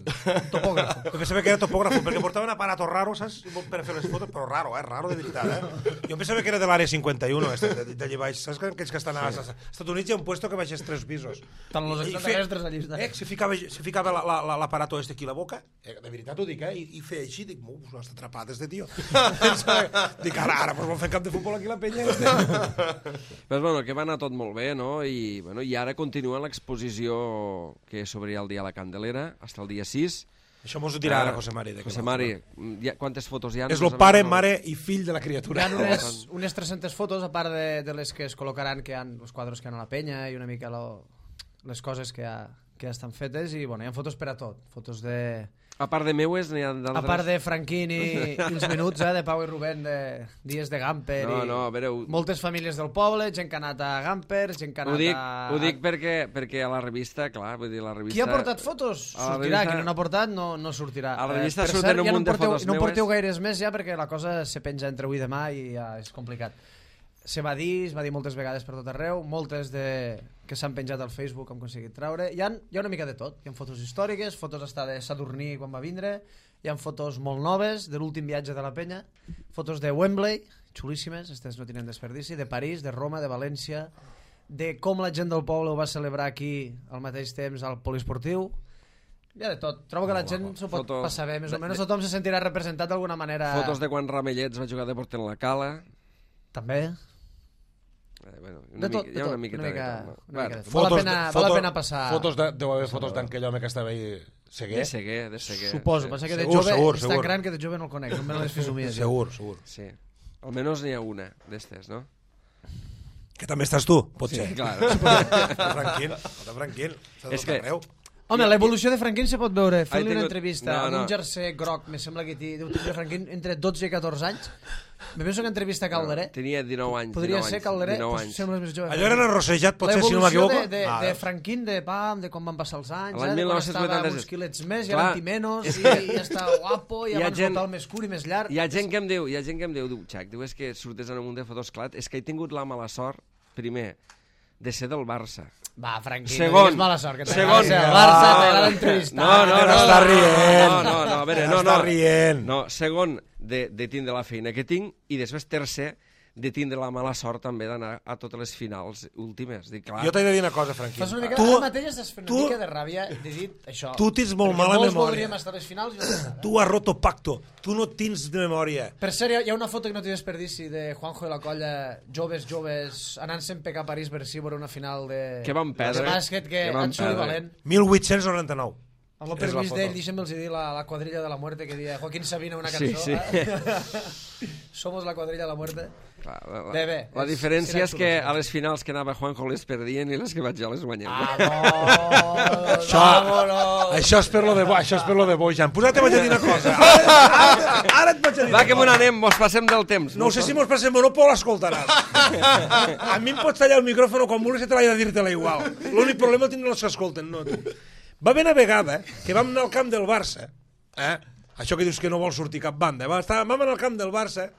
[SPEAKER 3] Topògrafo. Pensava que era topògrafo, perquè portaven aparatos raros, saps? Per fer les fotos, però raro de veritat, Jo pensava que era de l'àrea 51, d'allà baix, saps? Aquells que estan als Estats Units hi ha un puesto que baixés 3 pisos.
[SPEAKER 2] Tant los extraterrestres allà estan.
[SPEAKER 3] Se ficava l'aparato aquí a la boca, de veritat ho dic, i feia així, dic, no està atrapat este tio. Dic, ara, pues vol fer camp de futbol aquí la penya.
[SPEAKER 5] Però bueno, que va anar tot molt bé, no? I ara continua l'exposició que s'obrirà el dia a la Candelera, fins el dia 6.
[SPEAKER 3] Això mos ho dirà ara José Mari.
[SPEAKER 5] José Mari, quantes fotos hi ha?
[SPEAKER 3] És el pare, mare i fill de la criatura.
[SPEAKER 2] Hi ha unes 300 fotos, a part de les que es col·locaran, que hi ha els quadres que hi ha a la penya i una mica les coses que ja estan fetes, i bueno, hi ha fotos per a tot. Fotos de...
[SPEAKER 5] A part de meues, n'hi ha d'altres?
[SPEAKER 2] A part de Franquín i els minuts, de Pau i Rubén, de dies de Gamper.
[SPEAKER 5] No, a veure...
[SPEAKER 2] Moltes famílies del poble, gent que ha anat a Gamper, gent que ha anat a...
[SPEAKER 5] Ho dic perquè a la revista, clar, vull dir, la revista...
[SPEAKER 2] Qui ha portat fotos? Sortirà, qui no n'ha portat no sortirà.
[SPEAKER 5] A la revista surten un munt de fotos meues.
[SPEAKER 2] No porteu gaires més ja, perquè la cosa se penja entre avui i demà i ja és complicat. Es va dir moltes vegades per tot arreu, moltes que s'han penjat al Facebook hem aconseguit treure. Hi ha una mica de tot. Hi ha fotos històriques, fotos hasta de Sadurní quan va vindre, hi ha fotos molt noves de l'últim viatge de la penya, fotos de Wembley, xulíssimes, aquestes no tenen desperdici, de París, de Roma, de València, de com la gent del poble ho va celebrar aquí al mateix temps al poliesportiu. Hi ha de tot. Trobo que la gent s'ho pot passar bé, més o menys tothom se sentirà representat d'alguna manera.
[SPEAKER 5] Fotos de quan Ramellets va jugar de porter en la Cala.
[SPEAKER 2] També.
[SPEAKER 5] Bueno,
[SPEAKER 2] hi ha una
[SPEAKER 5] miqueta de tot.
[SPEAKER 2] Val la pena passar.
[SPEAKER 3] Deu haver fotos d'aquell home que estava ahí Seguer.
[SPEAKER 5] De Seguer.
[SPEAKER 2] Suposo, passa que de jove és tan gran que de jove no el conec, no me les fisomies.
[SPEAKER 3] Segur.
[SPEAKER 5] Sí. Almenys n'hi ha una d'estes, no?
[SPEAKER 3] Que també estàs tu, potser.
[SPEAKER 5] Sí, claro.
[SPEAKER 3] Tranquil.
[SPEAKER 5] És que...
[SPEAKER 2] Home, l'evolució de Franquín se pot veure fent-li una entrevista amb un jersei groc, me sembla que deu tenir Franquín entre 12 i 14 anys. Me penso que entrevista a Calderé.
[SPEAKER 5] Tenia 19 anys.
[SPEAKER 2] Podria ser Calderé, sembla més jove.
[SPEAKER 3] Allò era arrossejat, potser, si no m'equivoco?
[SPEAKER 2] L'evolució de Franquín, de com van passar els anys,
[SPEAKER 5] l'any 1986.
[SPEAKER 2] Estava uns quilets més, i ara antimenos, i ja està guapo, i abans el més curt i més llarg.
[SPEAKER 5] Hi ha gent que em diu, Xac, diu, és que surtes en un munt de fotos, clar, és que he tingut la mala sort, primer, de ser del Barça.
[SPEAKER 2] Va, Franquín,
[SPEAKER 5] segon,
[SPEAKER 2] no digues mala sort, que
[SPEAKER 5] segon,
[SPEAKER 2] el Barça t'agrada entrevistar.
[SPEAKER 5] No,
[SPEAKER 3] està rient.
[SPEAKER 5] No, a veure,
[SPEAKER 3] està rient.
[SPEAKER 5] No, segon, de tindre la feina que tinc, i després tercer, de tindre la mala sort també d'anar a totes les finals últimes. Dic, clar.
[SPEAKER 3] Jo t'he de dir una cosa, Franquín.
[SPEAKER 2] Fas una mica, ara mateix estàs fent una mica de ràbia de dir això.
[SPEAKER 3] Tu tens molt mala memòria.
[SPEAKER 2] Molts voldríem estar a les finals i no.
[SPEAKER 3] Tu has roto pacto. Tu no tens de memòria.
[SPEAKER 2] Per cert, hi ha una foto que no té desperdici de Juanjo i la colla, joves, anant-se'n pecar a París per si veure una final de...
[SPEAKER 5] Que van perdre.
[SPEAKER 2] De bàsquet que han sigut valent.
[SPEAKER 3] 1899.
[SPEAKER 2] Amb el permís d'ell, deixa'm-los dir la quadrilla de la muerte que dia Joaquín Sabina una cançó.
[SPEAKER 5] Sí.
[SPEAKER 2] Somos la quadrilla de la muerte.
[SPEAKER 5] Bé. La diferència és que a les finals que anava Juanjo les perdien i les que vaig jo les guanyem.
[SPEAKER 3] Això és per lo de Bojan. Posa't, vaig a dir una cosa. Ara et vaig a dir.
[SPEAKER 5] Va, que me n'anem, mos passem del temps.
[SPEAKER 3] No sé si mos passem o no, però l'escoltaràs. A mi em pots tallar el micròfon quan vulguis i treballar a dir-te-la igual. L'únic problema el tindran els que escolten, no tu. Va haver una vegada que vam anar al camp del Barça, això que dius que no vol sortir cap banda. Vam anar al camp del Barça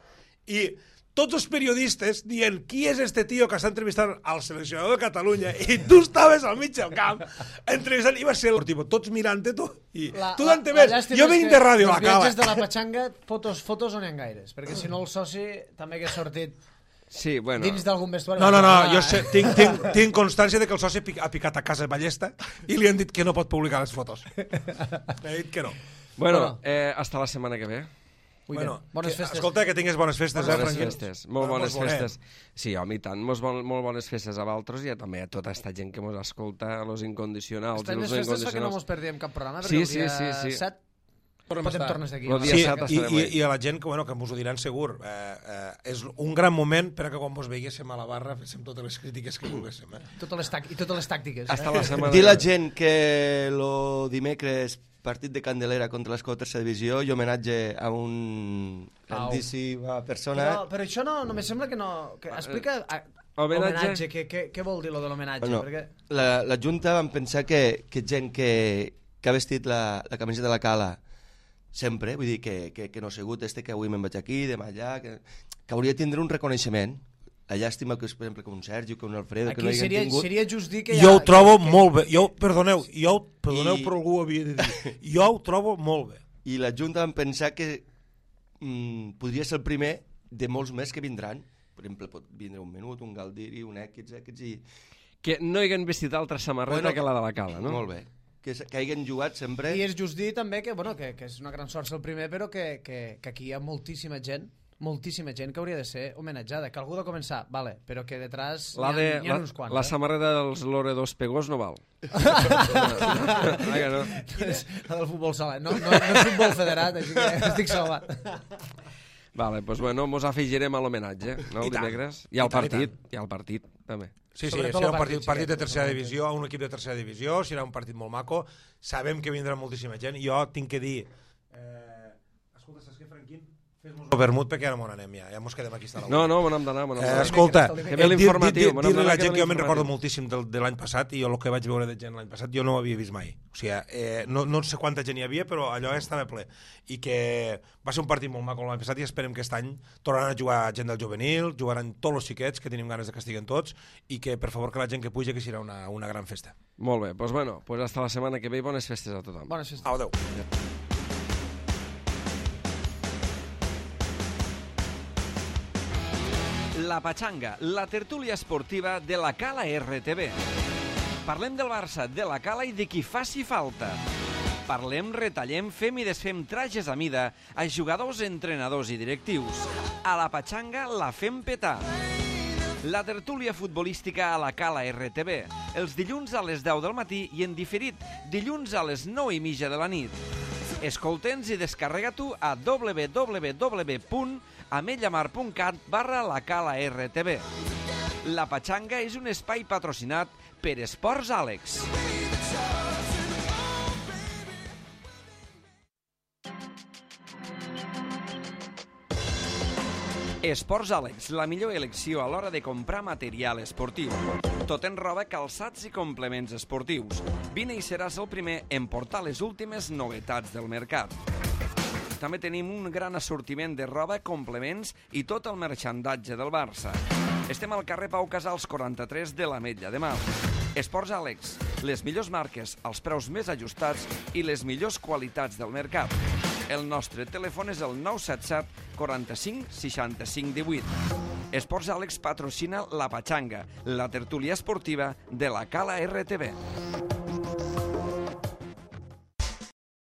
[SPEAKER 3] i tots els periodistes dient qui és este tio que està entrevistant al seleccionador de Catalunya i tu estaves al mig del camp entrevistant i va ser tots mirant-te tu i tu dante més, jo vinc de ràdio a la cala.
[SPEAKER 2] Els viatges de la Pachanga, fotos on hi ha gaires, perquè si no el soci també hagués sortit dins d'algun vestuari.
[SPEAKER 3] No, jo sé, tinc constància de que el soci ha picat a casa Ballesta i li han dit que no pot publicar les fotos. M'ha dit que no.
[SPEAKER 5] Bueno, hasta la setmana que ve.
[SPEAKER 3] Bueno,
[SPEAKER 2] bones festes.
[SPEAKER 3] Escolta, que tingues bones festes.
[SPEAKER 5] Bones festes, molt bones festes. Sí, home, i tant, molt bones festes a vosaltres i també a tota aquesta gent que mos escolta, los incondicionals.
[SPEAKER 2] Estem les festes perquè no mos perdíem cap programa, perquè
[SPEAKER 5] sí,
[SPEAKER 2] el dia 7 podem tornar d'aquí.
[SPEAKER 3] I a la gent que mos ho diran segur, és un gran moment per que quan vos veiguéssim a la barra féssim totes les crítiques que volguéssim.
[SPEAKER 2] I totes les tàctiques.
[SPEAKER 5] Hasta la setmana.
[SPEAKER 4] Dir la gent que el dimecres partit de Candelera contra l'Escó Tercera Divisió i homenatge a un grandíssima persona.
[SPEAKER 2] Però això no me sembla que no... Explica homenatge, què vol dir lo de l'homenatge?
[SPEAKER 4] La Junta vam pensar que gent que ha vestit la camiseta de la Cala sempre, vull dir que no ha sigut que avui me'n vaig aquí, demà allà, que hauria de tindre un reconeixement. La llàstima que és, per exemple, que un Sergio, que un Alfredo, que no hi hagin tingut.
[SPEAKER 2] Seria just dir que
[SPEAKER 3] jo ho trobo molt bé. Perdoneu, però algú ho havia de dir. Jo ho trobo molt bé.
[SPEAKER 4] I la Junta vam pensar que podria ser el primer de molts més que vindran. Per exemple, pot vindre un Menut, un Galdiri, un Èquids i...
[SPEAKER 5] Que no hi hagin vestit altra samarreta que la de la Cala, no?
[SPEAKER 4] Molt bé. Que hagin jugat sempre...
[SPEAKER 2] I és just dir també que és una gran sort ser el primer, però que aquí hi ha moltíssima gent que hauria de ser homenatjada, que algú ha de començar, vale, però que detrás n'hi ha uns quants.
[SPEAKER 5] La samarreta dels Loredos Pegós no val.
[SPEAKER 2] La del futbol sala. No és futbol federat, així que estic salvat.
[SPEAKER 5] Vale, doncs bueno, mos afegirem a l'homenatge, no, el dimecres. I al partit, també.
[SPEAKER 3] Sí, serà un partit de tercera divisió, un equip de tercera divisió, serà un partit molt maco. Sabem que vindrà moltíssima gent. Jo tinc que dir... Escolta, saps què, Franquín? Fes-nos el vermut perquè ara m'on anem ja mos quedem aquí a la
[SPEAKER 5] No, me n'hem d'anar.
[SPEAKER 3] Escolta, dir-li a la gent que jo me'n recordo moltíssim de l'any passat i el que vaig veure de gent l'any passat jo no ho havia vist mai. O sigui, no sé quanta gent hi havia, però allò estava ple. I que va ser un partit molt maco l'any passat i esperem que aquest any tornaran a jugar gent del juvenil, jugaran tots els xiquets, que tenim ganes de que estiguen tots, i que per favor que la gent que puja que serà una gran festa.
[SPEAKER 5] Molt bé, doncs bueno, hasta la setmana que ve i bones festes a tothom.
[SPEAKER 2] Bones festes.
[SPEAKER 3] Adéu.
[SPEAKER 1] La Pachanga, la tertúlia esportiva de la Cala RTV. Parlem del Barça, de la Cala i de qui faci falta. Parlem, retallem, fem i desfem trajes a mida a jugadors, entrenadors i directius. A la Pachanga la fem petar. La tertúlia futbolística a la Cala RTV, els dilluns a les 10 del matí i en diferit, dilluns a les 9:30 de la nit. Escolta'ns i descarrega-t'ho a www.ametlllamar.cat/la Cala RTV. La Pachanga és un espai patrocinat per Esports Àlex. Esports Àlex, la millor elecció a l'hora de comprar material esportiu. Tot en roba, calçats i complements esportius. Vine i seràs el primer en portar les últimes novetats del mercat. També tenim un gran assortiment de roba, complements i tot el marxandatge del Barça. Estem al carrer Pau Casals 43 de l'Ametlla de Mar. Esports Àlex, les millors marques, els preus més ajustats i les millors qualitats del mercat. El nostre telèfon és el 977 45 65 18. Esports Àlex patrocina la Pachanga, la tertúlia esportiva de la Cala RTV.